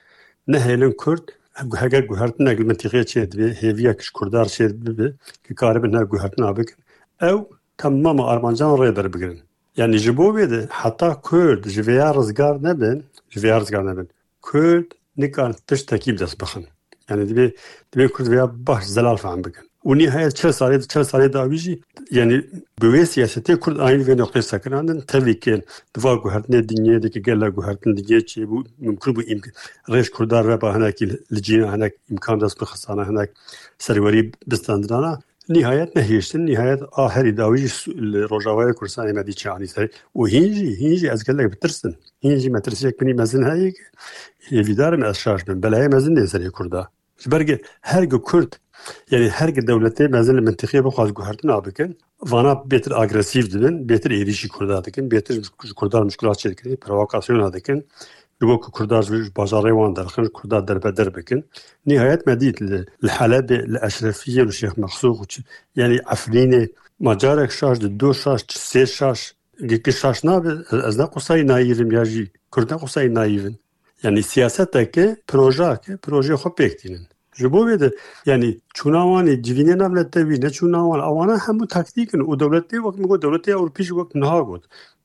Nehêlin Kurd, heger guhertinek li mintîqê çê dibe, hêviyek ji Kurda re çê bibe, ki karibin her guhertina bikin. Ew temama armancan rê ber bigirin. Yani ji bo vê de heta Kurd ji vêya rizgar nebin, ji vêya rizgar nebin. Kurd nikan tiştekî bi dest bixin. Yani divê, divê Kurd vêya baş zelal fehm bikin. Û nîhayet çel salê, çel salê dawî jî, yanî bi wê siyasetê Kurd anî vê noqtê sekinandin, tevî ke di va guhertinê dinyê de ke gela guhertin dinyê çêbû, mimkun bû îmk-, rêj Kurda reba hinekî li cîna hinek îmkan dest bi xistana hinek serwerî bistandirana. Nîhayet nehêştin, nîhayet a herî dawî jî su-, li Rojavayê Kurdistanê me dî çi anî ser. Û hîn jî, hîn jî ez gelek bitirsim. Hîn jî metirsiyek binî mezin heye ke hêvîdar im ez şaş bim. Belayê mezin dê serê Kurda. Ji ber ke her gi Kurd, yanî her gi dewletê mezin li mintiqiyê bixwaz guhertina bikin, vana bêtir agresîf dibin, bêtir êrîşî Kurda dikin, bêtir ji, ji Kurdan mişkila çêdikin, provokasyona dikin. Ji bo ku Kurdan ji, ji bajarê wan derxin, ji Kurdan derbeder bikin. Nîhayet me dît li, li Helebê, li Eşrefiyê, li Şêx Mexsûx û çi, yanî Efrînê, ma carek şaş, di du şaş, sê şaş, gi-, gi şaş nabe, ez, ez ne qusayî nayîv im ya jî Kurd ne qusayî nayîv in. Yanî siyaseteke, projeyeke, projeyê xwe pêk tînin. Ji bo vê de, yanî çûna wan ê civînê nav netewî, neçûna wan, ewana hemû taktîk in û dewletê wek min got, dewletê Ewropî jî wek niha got.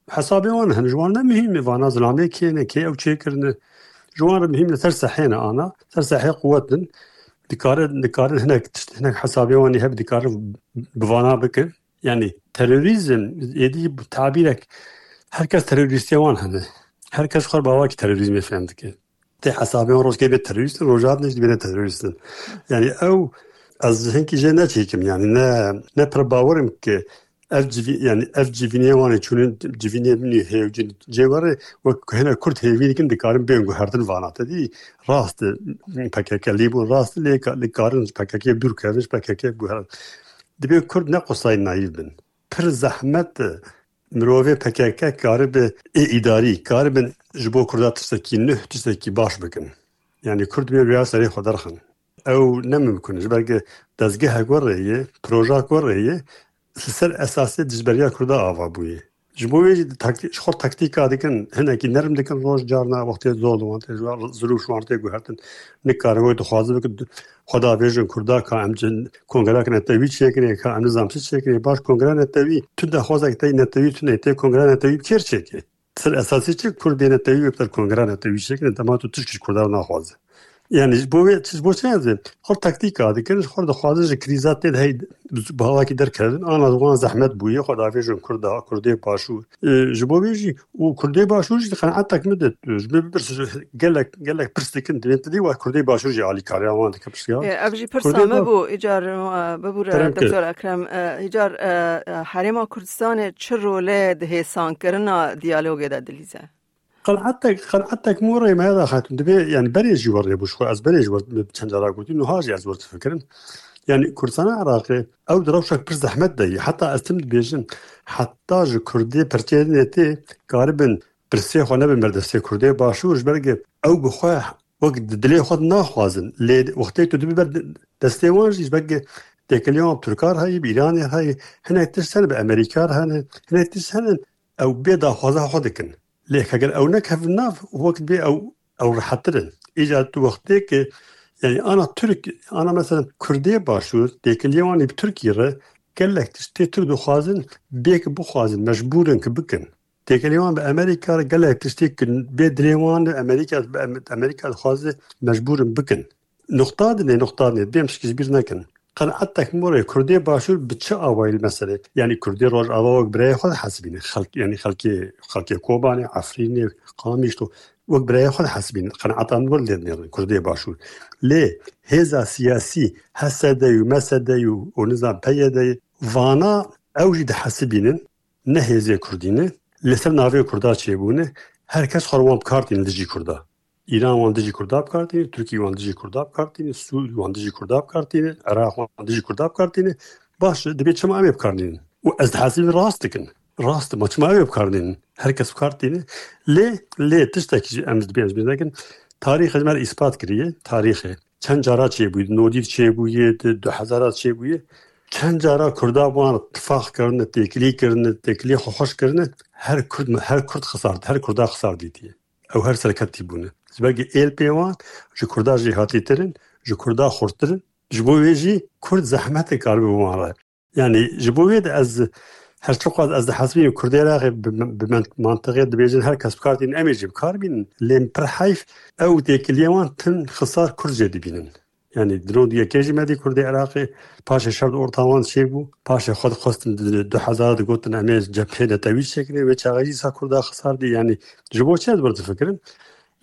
Hesabê wan hene, ji wan ne muhîm e, vana zilamê kê ne, kê ew çêkirine. Ji wan re muhîm ne, ser sehê ne ana, ser sehê quwet in. Dikare, dikarin hinek tişt, hinek hesabê wan ê hebe dikarin bi vana bikin. Yanî terorîzm, êdî bi tabîrek, her kes terorîstiya wan hene. Her kes xwe bi awakî terorîzmê fehm dike. Tê hesabê wan rojkê bê terorîst in, rojhat ne jî dibêne terorîst in. Yanî ew, ez hinkî jê neçêkim, yanî ne, ne pir bawer im ke ev civî-, yanî ev civînê wan ê çûnin, civînê min ê hêv cin-, cê were, wek ku hene Kurd hêvî dikin, dikarin bên guhertin vana. Te dî rast e, P K K lî bûn, rast e, lê ka-, lê karin ji P K K dûr kevin, ji P K K guherin. Dibê Kurd ne qusayî nayîv bin. Pir zehmet e mirovê P K K karibe ê îdarî, karibin ji bo Kurda tiştekî nuh, tiştekî baş bikin. Yanî Kurd dibê rêya serê xwe derxin. Ew ne mimkun e. Ji ber ke dezgehek werê ye, projak werê ye, li ser esasê dijberiya Kurda ava bûye. Ji bo wê jî di taktî-, ji xwe taktîka dikin, hinekî nerm dikin roj, carna wextê zor li wan tê, ji wan zirû ji wan tê guhertin. Nikarin wek dixwazin bikin, xwe davêjin Kurda ka em cin-, kongreya netewî çêkin, ka em nizam çi çêkin. Baş, kongreya netewî, tu daxwazek te netewî tune, tê kongreya netewî bi kêr çêkê. Ser esasî çi Kurd bê netewî wê bi ser kongreya netewî çêkin, dema tu tişkî ji Kurdan naxwaze. Yanî ji bo wê, ji bo çi ez ê? Xwe taktîka dikin, ji xwe dixwazin ji krîza tê de hey bi hawakî derkevin. Ana wan zehmet bûye, xwe davêjin Kurda, Kurdê Başûr. E, ji bo vê jî û Kurdê Başûr jî qenaetek min de, ji min bipirse, gelek, gelek pirs dikin, divê tu dî wa Kurdê Başûr jî alîkariya wan dike pirsiyar. E, ev jî pirsa Kurdê me Ba-, bû, îcar, e, bibûre, Kerem kir. Doktor Ekrem, e, îcar, e, e, Herêma Kurdistanê çi role di hêsankirina diyalogê de dilîze? Qenaetek, qenaetek min rê me da xetum. Dibê, yani berê jî werê bû ji xwe. Ez berê jî wer çend cara gotî, nuha jî ez wer difikirim. Yani Kurdistana Iraqê ew di rewşek pir zehmet de ye. Heta ez tim dibêjim, heta ji Kurdê perçeyê netê karibin pirsê xwe nebin ber destê Kurdê Başûr, ji ber ke ew bi xwe wek di dilê xwe naxwazin. Lê wextê tu dibî ber destê wan jî, ji ber ke têkiliya wan bi Tirkan re heye, bi Îranê re heye, hinek tişt hene bi Amerîka re hene, hinek tişt hene ew bê daxwaza xwe dikin. Lê heger ew nekevin nav, wek bê ew, ew rehettir in. Îca tu wextê ke, yani ana Tirk, ana mesela Kurdê Başûr, têkiliya wan ê bi Tirkî re gelek tiştê Tirk dixwazin, bê ki bixwazin, mecbûr in ki bikin. Têkiliya wan bi Amerîka re gelek tiştê ki bê dilê wan de Amerîka, bi Am-, Amerîka dixwaze mecbûr in bikin. Nuqta dinê, nuqta dinê, bêm şikî ji bîr nekin. Qenaetek min rê Kurdê Başûr bi çi awayî li meselê? Yanî Kurdê Rojava wek birayê xwe dihesibîne. Xelk, yanî xelkê, xelkê Kobanê, Efrînê, Qamişlo wek birayê xwe dihesibîne. Qenaeta min were lê dinêrin Kurdê Başûr. Lê hêza siyasî, H S D û M S D û, û nizam P Y D, vana ew jî dihesibînin, ne hêzê Kurdî ne. Li ser navê Kurda çêbûne, her kes xwe wan bi kar tîne dijî Kurda. Îran wan dijî Kurda bi kar tîne, Tirkî wan dijî Kurda bi kar tîne, Sûrî wan dijî Kurda bi kar tîne, Iraq wan dijî Kurda bi kar tîne. Baş e, dibê çima em ê bi kar nînin? Û ez dihesibim rast dikin. Rast e, ma çima em ê bi kar nînin? Her kes bi kar tîne. Lê, lê tiştekî jî em dibê ez bîr nekin. Tarîxê me re îspat kiriye. Tarîxê çend cara çêbûye, nodî çêbûye, di du hezara çêbûye. Çend cara Kurda wan tifaq kirine, têkilî kirine, têkilî xwe xweş kirine. Her Kurd, her Kurd xisar, her Kurda xisar dîtiye. Ew her serketî bûne. Ji ber êlpê wan ji Kurda jêhatîtir in, ji Kurda xurttir in. Ji bo wê jî Kurd zehmetê karibe bi wan re. Yani ji bo wê de ez her çiqas ez dihesibînim Kurdê Iraqê bi, bi men-, mantiqê dibêjin her kes bi kar tînin, em ê jî bi kar bînin. Lê pir heyf ew têkiliyê wan tim xisar Kurd jê dibînin. Yanî di nod yekê jî me dî Kurdê Iraqê paşê şer di orta wan çêbû. Paşê xwe dixwestin di du hezar digotin em ê cephê netewî çêkirin. Wê çaxê jî sa Kurda xisar dî. Yanî ji bo çi ez bir difikirin?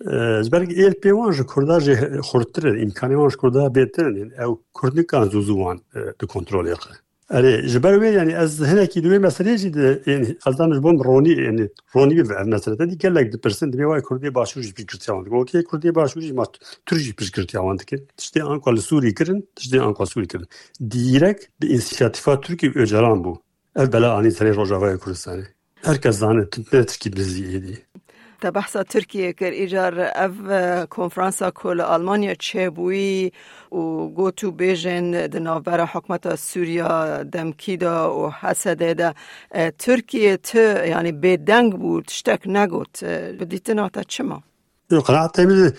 E, ji ber êl pê wan ji Kurda jî xurttir in, îmkanê wan ji Kurda bêtir in. Ew Kurd nikan zû zû wan, e, di kontrolê xwe. Erê, ji ber wê, yanî ez hinekî di wê meselê jî de, yanî ez dam ji bo min ronî, yanî ronî bibe ev mesele. Te dî gelek dipirsin, dibê wayê Kurdê Başûr jî piştgirtiya wan dike. Okey, Kurdê Başûr jî ma Tirk jî piştgirtiya wan dike. Tiştê anka li Sûrî kirin, tiştê anka Sûrî kirin. Dîrek bi însiyatîfa Tirkî û Ocalan bû. Ev bela anî serê Rojavayê Kurdistanê. Her kes zane, tu ne tişkî bizî êdî. Te behsa Tirkiyê kir, îcar ev, e, konferansa ku li Almanya çêbûyî û got û bêjên di navbera hikûmeta Sûriya demkî de û Hesedê de, e, Tirkiye ti, yanî bêdeng bû, tiştek negot. E, bi dîtina te çima? Yo, qenaetê min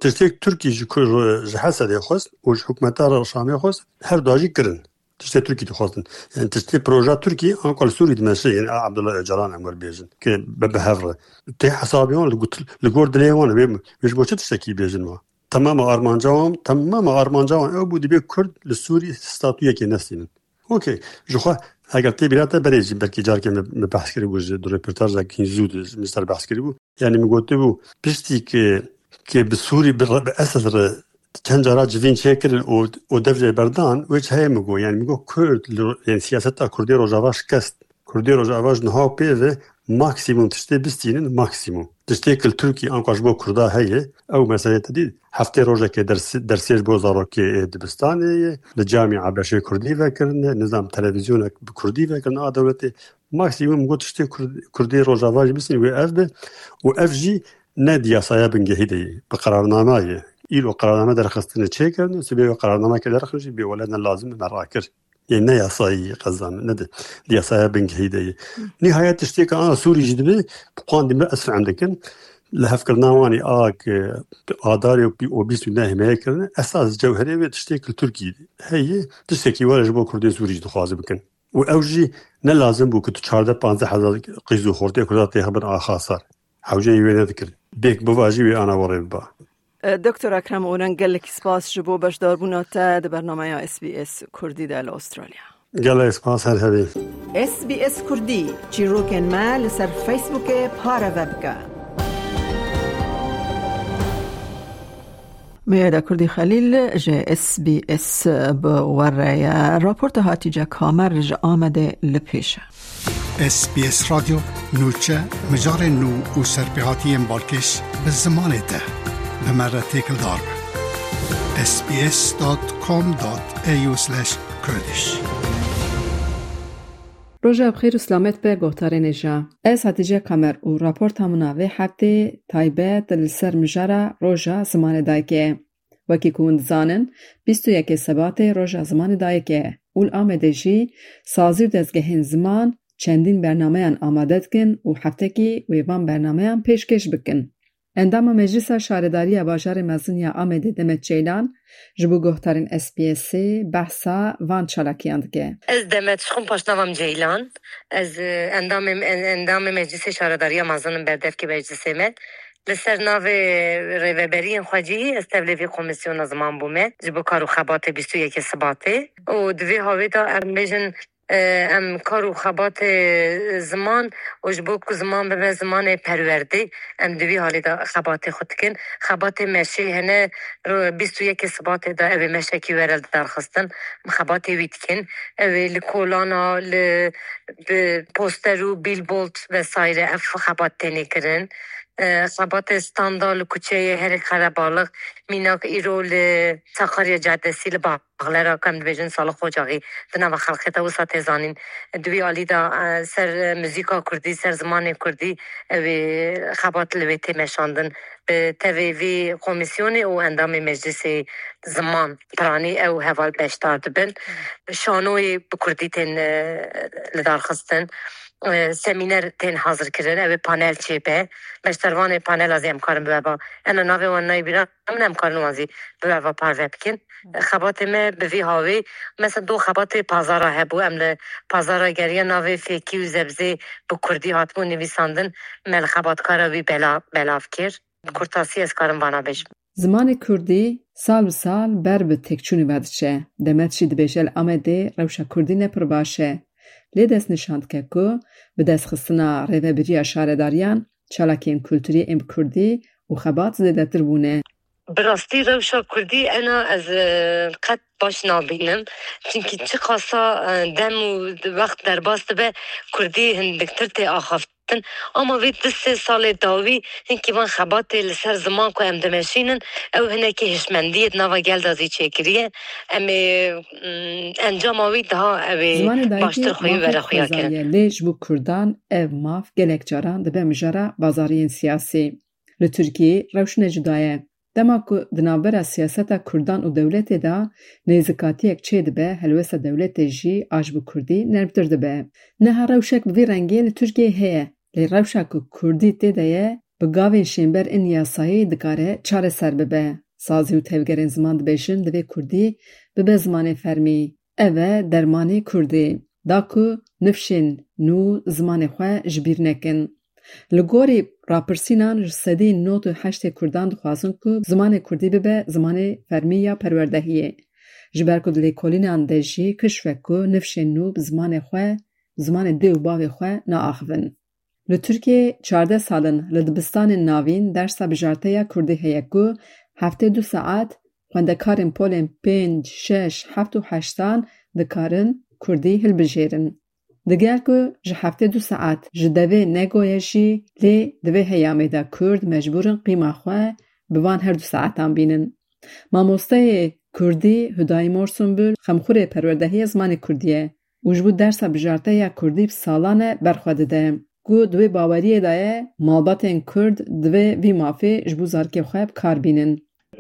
tiştek Tirkî ji ku, ji Hesedê xwest û ji hikûmeta Şamê xwest, her du jî kirin. Tiştê Tirkî dixwestin. Yani tiştê proja Tirkî anka li Sûrî dimeşe, yani Abdullah Öcalan em wer bêjin. Ki be, bi hev re. Tê hesabê wan li got-, li gor dilê wan, wê, wê ji bo çi tiştekî bêjin wa? Temama armanca wan, temama armanca wan ew bû, dibê Kurd li Sûrî statuyekê nestînin. Okey. Ji xwe eger tê bîra te berê jî belkî carkê me, me behs kiribû ji, di röportajekî zû de ji min ser behs kiribû. Yani min gotibû, piştî ki, ki bi Sûrî bi, bi Esed re çend cara civîn çêkirin û, û dev jê berdan, wê çi heye min got. Yani min got Kurd, li ro-, yani siyaseta Kurdê Rojava şikest. Kurdê Rojava ji niha pê ve maksimum tiştê bistînin, maksimum. Tiştê ku li Tirkî anka ji bo Kurda heye, ew meselê te dî heftê rojekê ders-, dersê ji bo zarokê ê dibistanê ye, li camîa beşê Kurdî vekirine, nizam televîzyonek bi Kurdî vekirine a dewletê. Maksimum got tiştê Kurd-, Kurdê Rojava jî bistînin wê ev be û ev jî ne di yasaya bingehî de ye, bi qerarnama ye. Îro qerarname derxistine çêkirine, sibê wê qerarnameke derxin jî bê wele ne lazim me rakir. Yê ne yasayî qezan, ne di, di yasaya bingehî de ye. Nihayet tiştê ke ana Sûrî jî dibe, bi qandî me ez fehm dikim. Li hevkirina wan ê a ke adarê û bîst û nehê me kirine, esas cewherê wê tiştê ke li Tirkî heye, tiştekî were ji bo Kurdên Sûrî jî dixwaze bikin. Û ew jî ne lazim bû ku tu çardeh panzdeh hezar qîz û xortê Kurda têxibin a xasar. Hewceyî wê nedikir. Bêk biva jî wê ana werê biba. E, Doktor Ekrem Oren, gelekî spas ji bo beşdarbûna te di bernameya S B S Kurdî de li Australya. Gelek spas, her hebî. S B S Kurdî, çîrokên me li ser Facebookê pareve bike. Meyada Kurdî Xelîl ji S B S bi we re ye. Raporta Hatîce Kamer ji Amedê li pêş e. S B S Radyo, nûçe, mijarên nû û serpêhatiyên balkêş bi zimanê te. Bi me re têkildar be. S B S dot com dot A U slash Kurdish. Roja bi xêr û selamet be guhdarên hêja. Ez Hatice Kamer û raporta min a vê heftê taybet li ser mijara Roja Zimanê Dayikê ye. Wekî ku hûn dizanin, bîst û yekê Sebatê Roja Zimanê Dayikê ye û li Amedê jî sazî û dezgehên ziman çendîn bernameyan amade dikin û heftekî wê van bernameyan pêşkêş bikin. Endama Meclisa Şaredariya Bajarê Mezin ya Amedê Demet Ceylan ji bo guhdarên S B S'ê behsa van çalakiyan dike. Ez Demet, ji xwe paşnava min Ceylan. Ez, e, endamê, en-, endamê Meclisê Şaredariya Mezin im, berdevkê meclisê me. Li ser navê rêveberiyên xwecihî ez tevlê vê komîsyona ziman bûme ji bo kar û xebatê bîst û yekê Sibatê. Û di vê havê de em bêjin, e, em kar û xebatê ziman û ji bo ku ziman bibe zimanê perwerdê, em di vî halê de xebatê xwe dikin. Xebatê meşê hene, ro-, bîst û yekê Sibatê de ew ê meşekî were li darxistin. Em xebatê wî dikin. Ew ê li kolana, li, bi poster û billboard vesaire ev xebat têne kirin. E, xebatê standa li kuçeyê herê Qerebalix, mînak îro li Sakarya Caddesî li Ba-, Baxlera ku em dibêjin Salix Ocaxî di nava xelkê de wisa tê zanîn. Di wî alî de, e, ser, e, muzîka kurdî, ser zimanê kurdî, ew ê xebat li wê tê meşandin. Bi tevê vî komîsyonê û endamê meclisê ziman piranî ew heval beşdar dibin. Şanoyê bi kurdî tên, e, lidarxistin. E, semîner tên hazirkirin, ew ê panel çêbe. Beşdarvanê panela zî em karin bi we ve. Ena navê wan nayê bîra min, em karin wan zî bi we ve parve bikin. Xebatê me bi vî hawê, mesela do xebatê pazara hebû, em li pazara geriya navê fêkî û zebzê bi kurdî hatibû nivîsandin, me li xebatkara wî bela-, belav kir. Bi kurtasî ez karim vana bêjim. Zimanê kurdî sal bi sal ber bi têkçûnê ve diçe. Demet jî dibêje li Amedê rewşa kurdî ne pir baş e. Lê destnîşan dike ku bi destxistina rêvebiriya şaredariyan, çalakiyên kulturî ên bi kurdî û xebat zêdetir bûne. Bi rastî rewşa kurdî ena ez, e, qet baş nabînim. Çimkî çiqasa, e, dem û wext derbas dibe, kurdî hindiktir tê axaftin. Ama vê du sê salê dawî hinkî van xebatê li ser ziman ku em dimeşînin, ew hinekî hişmendiyê di nava gel de zî çêkiriye. Em ê, mm, encama wî daha ew ê Zimanê dayikê baştir xweyî mafek were xuya kirin. Xwezayî ye, lê ji bo kurdan ev maf gelek caran dibe mijara bazariyên siyasî. Li Tirkiyeyê rewş ne cuda ye. Dema ku di navbera siyaseta kurdan û dewletê de nêzikatiyek çêdibe, helwesta dewletê jî a ji bo kurdî nermtir dibe. Niha rewşek bi vî rengê li Tirkiyeyê heye, lê rewşa ku kurdî tê de ye, bi gavên şênber ên yasayî dikare çareser bibe. Sazî û tevgerên ziman dibêjin, divê kurdî bibe zimanê fermî. Ev e dermanê kurdî, da ku nifşên nû zimanê xwe ji bîr nekin. Li gorî rapirsînan ji sedî nod û heştê kurdan dixwazin ku zimanê kurdî bibe zimanê fermî ya perwerdehiyê. Ji ber ku di lêkolînan de jî kişf e ku nifşên nû bi zimanê xwe, zimanê dê û bavê xwe naaxivin. Li Tirkiyeyê çardeh sal in li dibistanên navîn dersa bijarte ya kurdî heye ku heftê du saet xwendekarên polên pênc, şeş, heft û heştan dikarin kurdî hilbijêrin. Digel ku ji heftê du saet ji devê negoye jî, lê di vê heyamê de kurd mecbûr in qîma xwe bi van her du saetan bînin. Mamosteyê kurdî Hudayî Morsunbul xemxurê perwerdehiyê zimanê kurdî ye û ji bo dersa bijarte ya kurdî bi salan e ber xwe dide. Ku di wê baweriyê de ye, malbatên kurd divê vî mafê ji bo zarokê xwe bi kar bînin.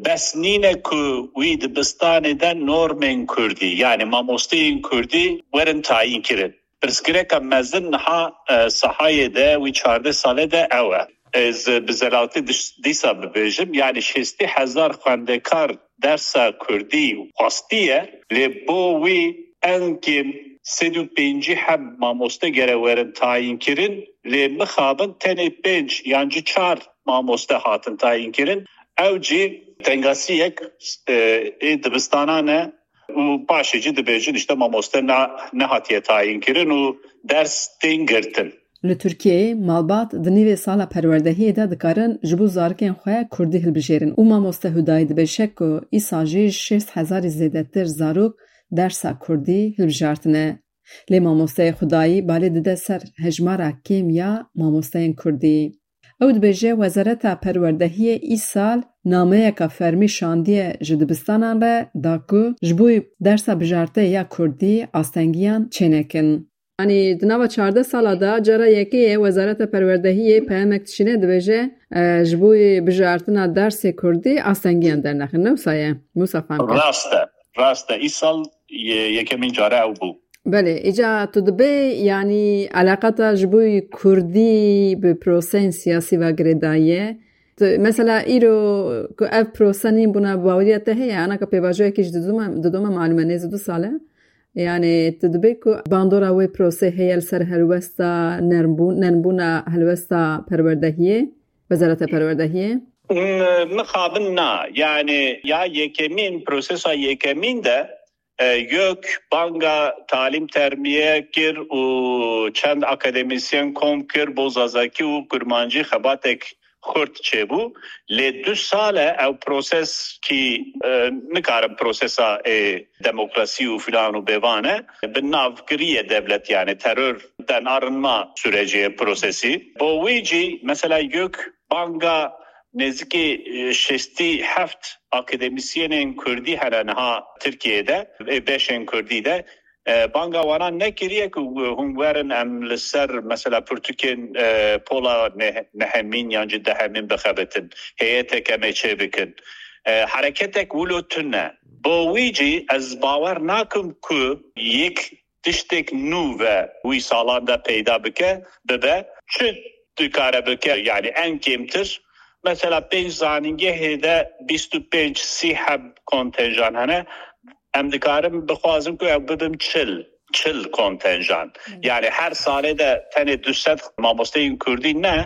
Bes nîne ku wî dibistanê de normên kurdî, yanî mamosteyên kurdî werin tayîn kirin. Pirsgirêka mezin niha, e, sahayê de wî çardeh salê de ew e. Ez bi zelaltî diş-, dîsa bibêjim, yanî şêstî hezar xwendekar dersa kurdî xwestiye, lê bo wî en kêm sed û pêncî heb mamoste gere werin tayîn kirin, lê mixabin tenê pênc yan jî çar mamoste hatin tayîn kirin. Ew jî tengasiyek, e, ê dibistanan e û paşê jî dibêjin, işte, mamoste na-, nehatiye tayîn kirin û ders tên girtin. Li Tirkiyeyê malbat di nîvê sala perwerdehiyê de dikarin ji bo zarokên xwe kurdî hilbijêrin û mamoste Hudayî dibêje ku îsal jî ji şêst hezarî zêdetir zarok dersa kurdî hilbijartine. Lê mamosteyê Hudayî balê dide ser hejmara kêm ya mamosteyên kurdî. Ew dibêje, Wezareta Perwerdehiyê îsal nameyeka fermî şandiye ji dibistanan re da ku ji bo dersa bijarte ya kurdî astengiyan çênekin. Yanî di nava çardeh sala de cara yekê ye Wezareta Perwerdehiyê peyamek dişîne, dibêje, e, ji bo bijartina dersê kurdî astengiyan dernexin. Ne wisa ye? Wisa fam kir. Rast e. Rast e. Îsal ye-, yekemîn care ew bû. Belê, îca tu dibê, yanî, eleqa te ji bo kurdî bi proseyên siyasî ve girêdayî ye. Tu, mesela, îro ku ev prose nîn bûna, baweriya te heye, anaka pêvajoyekî ji didome, didome malûm e, nêzî du sal e. Yanî, tu dibê ku bandora wê prosê heye li ser helwesta nermbû-, nermbûna helwesta perwerdehiyê, Wezareta Perwerdehiyê? M-, mixabin na. Yanî, ya yekemîn, prosesa yekemîn de, e, YÖK banga talîm termiye kir û çend akademisyen kom kir, bo zazakî û kurmancî xebatek xurt çêbû. Lê du sal e ew proses kî, e, nikarin prosesa, e, demokrasî û filan û bêvan e, bi nav kiriye devlet, yanî terör de narin ma sürecê prosesî. Bo wî jî mesela YÖK banga nêzîkî, e, şêstî heft akademisyenên kurdî hene niha Tirkiyeyê de, ê beşên kurdî de, e, banga wana nekiriye ku hûn werin em li ser mesela pirtûkên, e, pola neh-, nehemîn yan jî dehemîn bixebitin, heyeteke me çêbikin. E, hereketek wilo tune. Bo wî jî ez bawer nakim ku yek tiştek nû ve wî salan de peyda bike, bibe. Çi dikare bike? Yanî en kêmtir, mesela pênc zanîngehê de bîst û pênc sî heb kontenjan hene. Em dikarin bixwazin ku ew bibin çil, çil kontenjan. Hı. Yanî her salê de tenê du sed mamosteyên kurdî ne,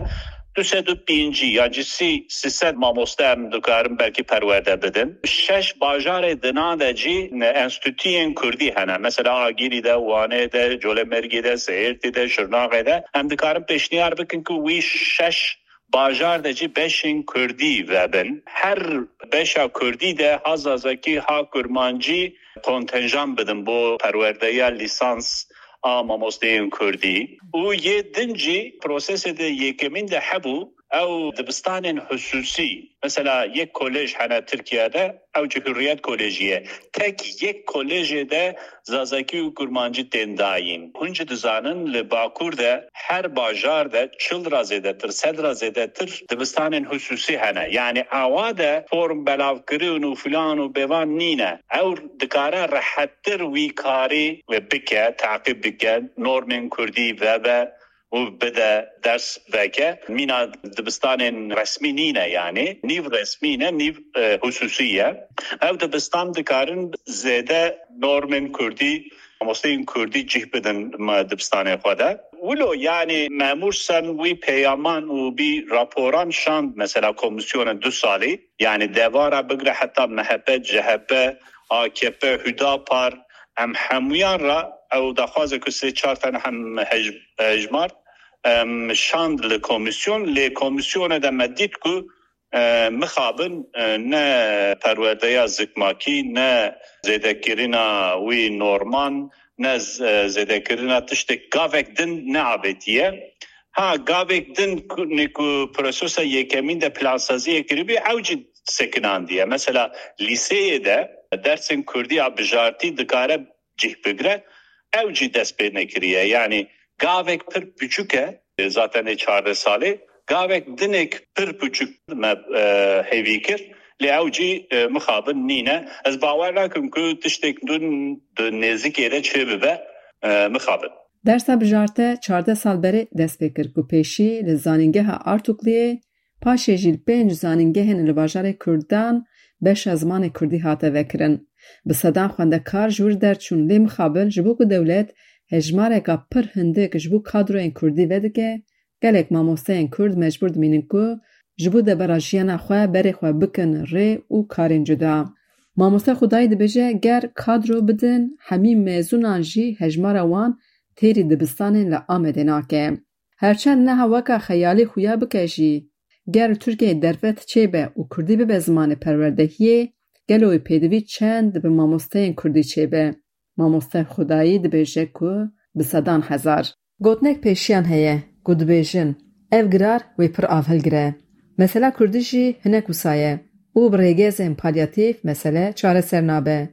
du sed û pêncî yan jî sî, sî sed mamoste em dikarin belkî perwerde bidin. Şeş bajarê dinan de jî enstîtuyên kurdî hene. Mesela Agirî de, Wanê de, Colemêrgê de, Sêrtê de, Şirnaxê de. Em dikarin pêşniyar bikin ku wî şeş bajar de jî beşên kurdî vebin. Her beşa kurdî de ha zazakî, ha kurmancî kontenjan bidin bo perwerdeya lîsans a mamosteyên kurdî. Û yê din jî prosesê de yekemîn de hebû, ew dibistanên xusûsî. Mesela yek kolej hene Tirkiye de, ew jî Hurriyet Kolejî ye. Tek yek kolejê de zazakî û kurmancî tên dayîn. Hûn jî dizanin li Bakur de her bajar de çil ra zêdetir, sed ra zêdetir dibistanên xusûsî hene. Yanî awa de form belavkirin û filan û bêvan nîne. Ew dikare rehettir wî karî bike, taqîb bike, normên kurdî vebe û bide ders veke. Mîna dibistanên resmî nîne yanî. Nîv resmî ne, nîv, e, xusûsî ye. Ew dibistan dikarin zêde normên kurdî, mamosteyên kurdî cih bidin me dibistanê xwe de. Wilo yanî memûr Sen wî peyaman û bî raporan şand mesela komîsyona du salî. Yanî devara bigre heta M H P, C H P, A K P, Hüdapar, em hemûyan ra ew daxwaze ku sê çar tane hem hej-, hejmar, em şand li komîsyon, lê komîsyonê de me dît ku, e, mixabin, e, ne perwerdeya zikmakî, ne zêdekirina wî norman, ne z-, e, zêdekirina tiştek gavek din neavêtiye. Ha, gavek din ku, ne ku prosesa yekemîn de plansaziyê kiribî, ew jî sekinandiye. Mesela lîseyê de dersên kurdî ya bijartî dikare cih bigre, ew jî dest pê nekiriye. Yanî gavek pir piçûk e, zaten ê çardeh salê, gavek dinek pir piçûk me, e, hêvî kir, lê ew jî, e, mixabin nîne. Ez bawer nakim ku tiştek din di nêzikê de çêbibe, e, mixabin. Dersa bijarte çardeh sal berê dest pê kir ku pêşî li zanîngeha Artukliyê, paşê jî li pênc zanîngehên li bajarê Kurdan beşa zimanê Kurdî hate vekirin. Bi sedan xwendekar ji wir derçûn, lê mixabin ji bo ku dewlet hejmareka pir hindik ji bo kadroyên Kurdî vedike, gelek mamosteyên Kurd mecbûr dimînin ku ji bo debera jiyana xwe berê xwe bikin rê û karên cuda. Mamoste Xwedayî dibêje, ger kadro bidin, hemî mezûnan jî hejmara wan têrî dibistanên li Amedê nake. Herçend niha weka xeyalî xuya bike jî, ger li Tirkiyeyê derfet çêbe û kurdî bibe zimanê perwerdehiyê, gelo wê pêdivî çend bi mamosteyên kurdî çêbe? Mamoste Xwedayî dibêje ku bi sedan hezar. Gotinek pêşiyan heye ku dibêjin, ev girar wê pir av hilgire. Mesela kurdî jî hinek wisa ye û bi rêgezên palyatîf mesele çareser nabe.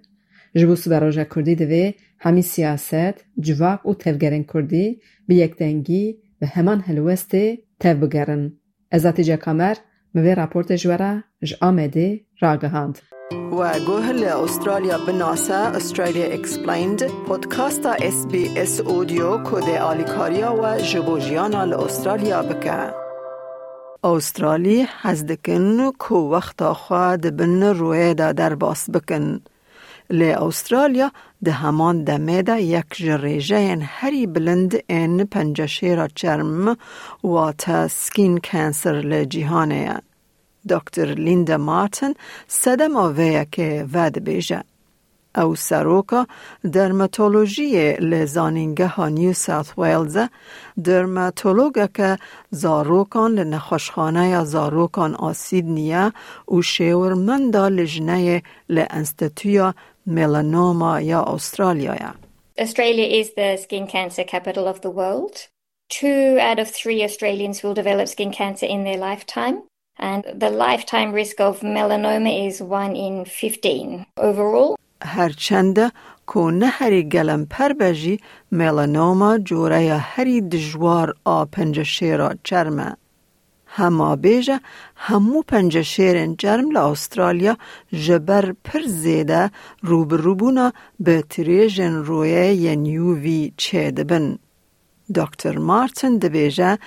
Ji bo siberoja kurdî divê hemî siyaset, civak û tevgerên kurdî bi yekdengî, bi heman helwestê tev bigerin. Ez Atîce Kamer, min vê raportê ji we re ji Amedê ragihand. We guh li Australya binase, Australia Explained, podcasta S B S Audio ku dê alîkariya we ji bo jiyana li Australya bike. Australî hez dikin ku wexta xwe di bin rûyê de derbas bikin. Lê Australya di heman demê de yek ji rêjeyên herî bilind ên penceşêra çerm, wate skin cancer li cîhanê ye. Doktor Linda Martin sedema vê yekê vedibêje. Ew seroka dermatolojiyê li Zanîngeha New South Wales e, dermatologeke zarokan li Nexweşxaneya Zarokan a Sydney ye û şêwirmenda lijneyê li Enstîtuya Melanoma ya Australyayê. Australia is the skin cancer capital of the world. Two out of three Australians will develop skin cancer in their lifetime. And the lifetime risk of melanoma is one in fifteen overall. Her çende ku ne herî gelemper be jî, melanoma coreya herî dijwar a penceşêra çerm e. Hema bêje, hemû penceşêrên çerm li Australya ji ber pir zêde rûbirûbûna bi tirêjên rûyê yên U V çêdibin. Doktor Martin dibêje,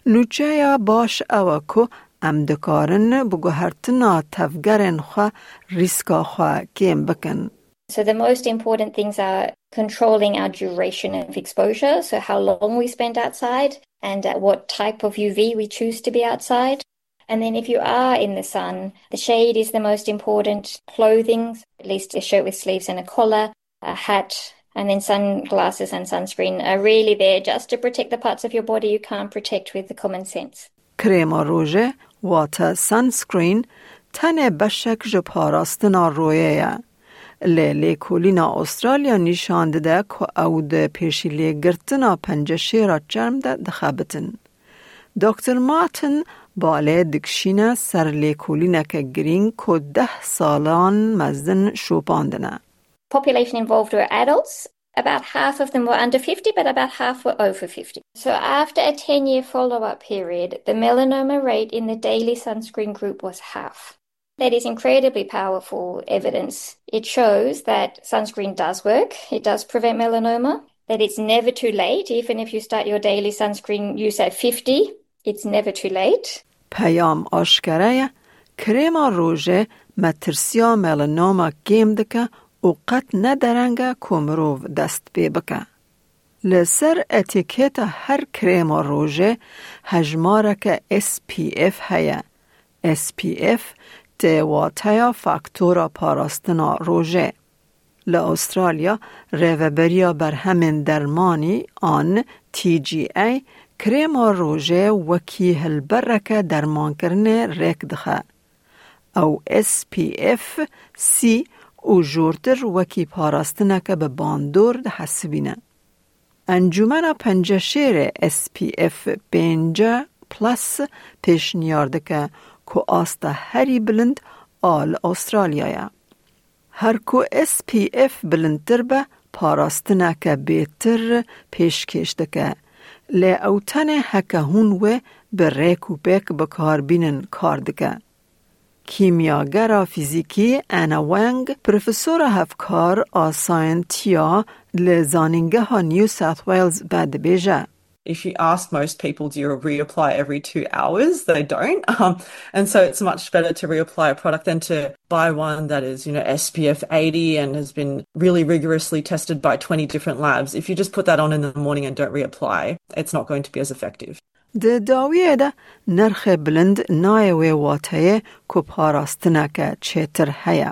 nûçeya baş ew e ku em dikarin bi guhertina tevgerên xwe rîska xwe kêm bikin. So the most important things are controlling our duration of exposure, so how long we spend outside and uh, what type of U V we choose to be outside. And then if you are in the sun, the shade is the most important. Clothing, at least a shirt with sleeves and a collar, a hat, and then sunglasses and sunscreen are really there just to protect the parts of your body you can't protect with the common sense. Krêma rojê, wate sunscreen, tenê beşek ji parastina royê ye. Lê lêkolîna Australya nîşan dide ku ew di pêşîlêgirtina penceşêra çerm de dixebitin. doktor Martin balê dikişîne ser lêkolîneke girîng ku deh salan mezin şopandine. Population involved were adults. About half of them were under fifty, but about half were over fifty. So after a ten-year follow-up period, the melanoma rate in the daily sunscreen group was half. That is incredibly powerful evidence. It shows that sunscreen does work. It does prevent melanoma, that it's never too late. Even if you start your daily sunscreen use at fifty, it's never too late. Peyam aşkere ye, krêma rojê metirsiya melanoma kêm dike û qet ne dereng e ku mirov dest pê bike. Li ser etîketa her krêma rojê hejmareke S P F heye. S P F tê wateya faktora parastina rojê. Li Australya, Rêveberiya Berhemên Dermanî an T G A krêma rojê wekî hilbereke dermankirinê rêk dixe. Ew S P F sî û jortir wekî parastineke bi bandor dihesibîne. Encûmena Penceşêrê S P F pêncî plus pêşniyar dike ku asta herî bilind a li Australya ye. Her ku S P F bilindtir be, parastineke bêtir pêşkêş dike. Lê ew tenê heke hûn wê bi rêk û pêk bikarbînin kar dike. Kîmyagera fîzîkî Anna Wang, profesora hevkar a sayentiya li Zanîngeha New South Wales be, dibêje. If you ask most people, "Do you reapply every two hours?" They don't. Um, and so it's much better to reapply a product than to buy one that is, you know, S P F eighty and has been really rigorously tested by twenty different labs. If you just put that on in the morning and don't reapply, it's not going to be as effective. Di dawiyê de nirxê bilind nayê wê wateyê ku parastineke çêtir heye.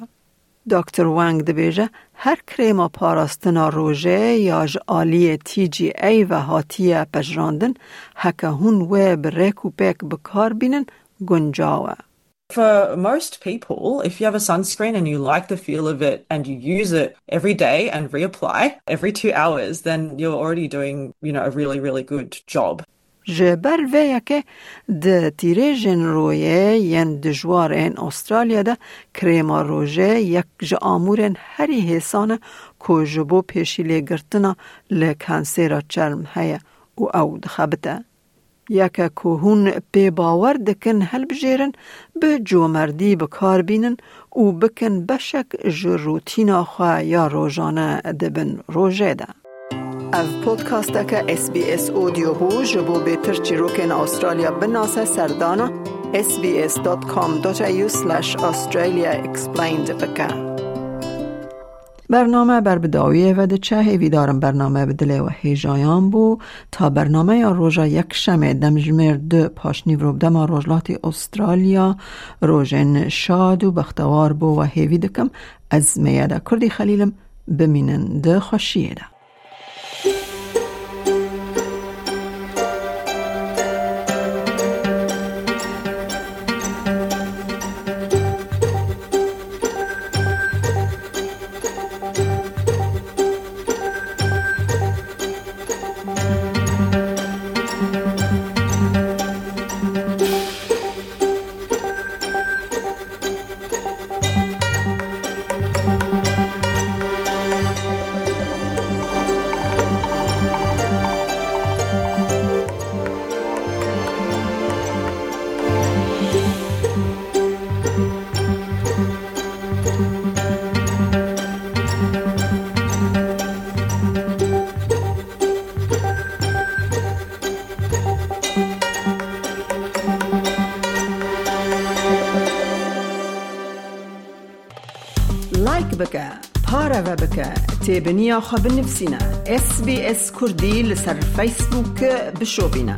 doktor Wang dibêje, her krêma parastina rojê ya ji aliyê T G A ve hatiye pejirandin, heke hûn wê bi rêk û pêk bi kar bînin, guncaw e. For most people, if you have a sunscreen and you like the feel of it and you use it every day and reapply every two hours, then you're already doing, you know, a really, really good job. Ji ber vê yekê di tîrêjên royê yên dijwar ên Australya de krêma rojê yek ji amûrên herî hêsan e ku ji bo pêşîlêgirtina li kansêra çerm heye û ew dixebite. Yeke ku hûn pê bawer dikin hilbijêrin, bi comerdî bi kar bînin û bikin beşek ji rûtîna xwe ya rojane di bin rojê de. Ev podcasteke S B S Audio bû. Ji bo bêtir çîrokên Australya binase, serdana S B S dot com dot A U slash Australia explained bike. Bername ber bi dawiyê ve diçe. Hêvîdarim bername bi dilê we hêjayan bû. Ta bernameya roja Yekşemê, demjimêr du paşnîvro bi dema rojhilatê Australya, rojên şad û bextewar bo we hêvî dikim. Ez Meyeda Kurdî Xelîl im. Bimînin di xweşiyê de. Like bike, Pareve bike, têbiniya xwe binivîsîne. S B S Kurdî li ser Facebook bişopîne.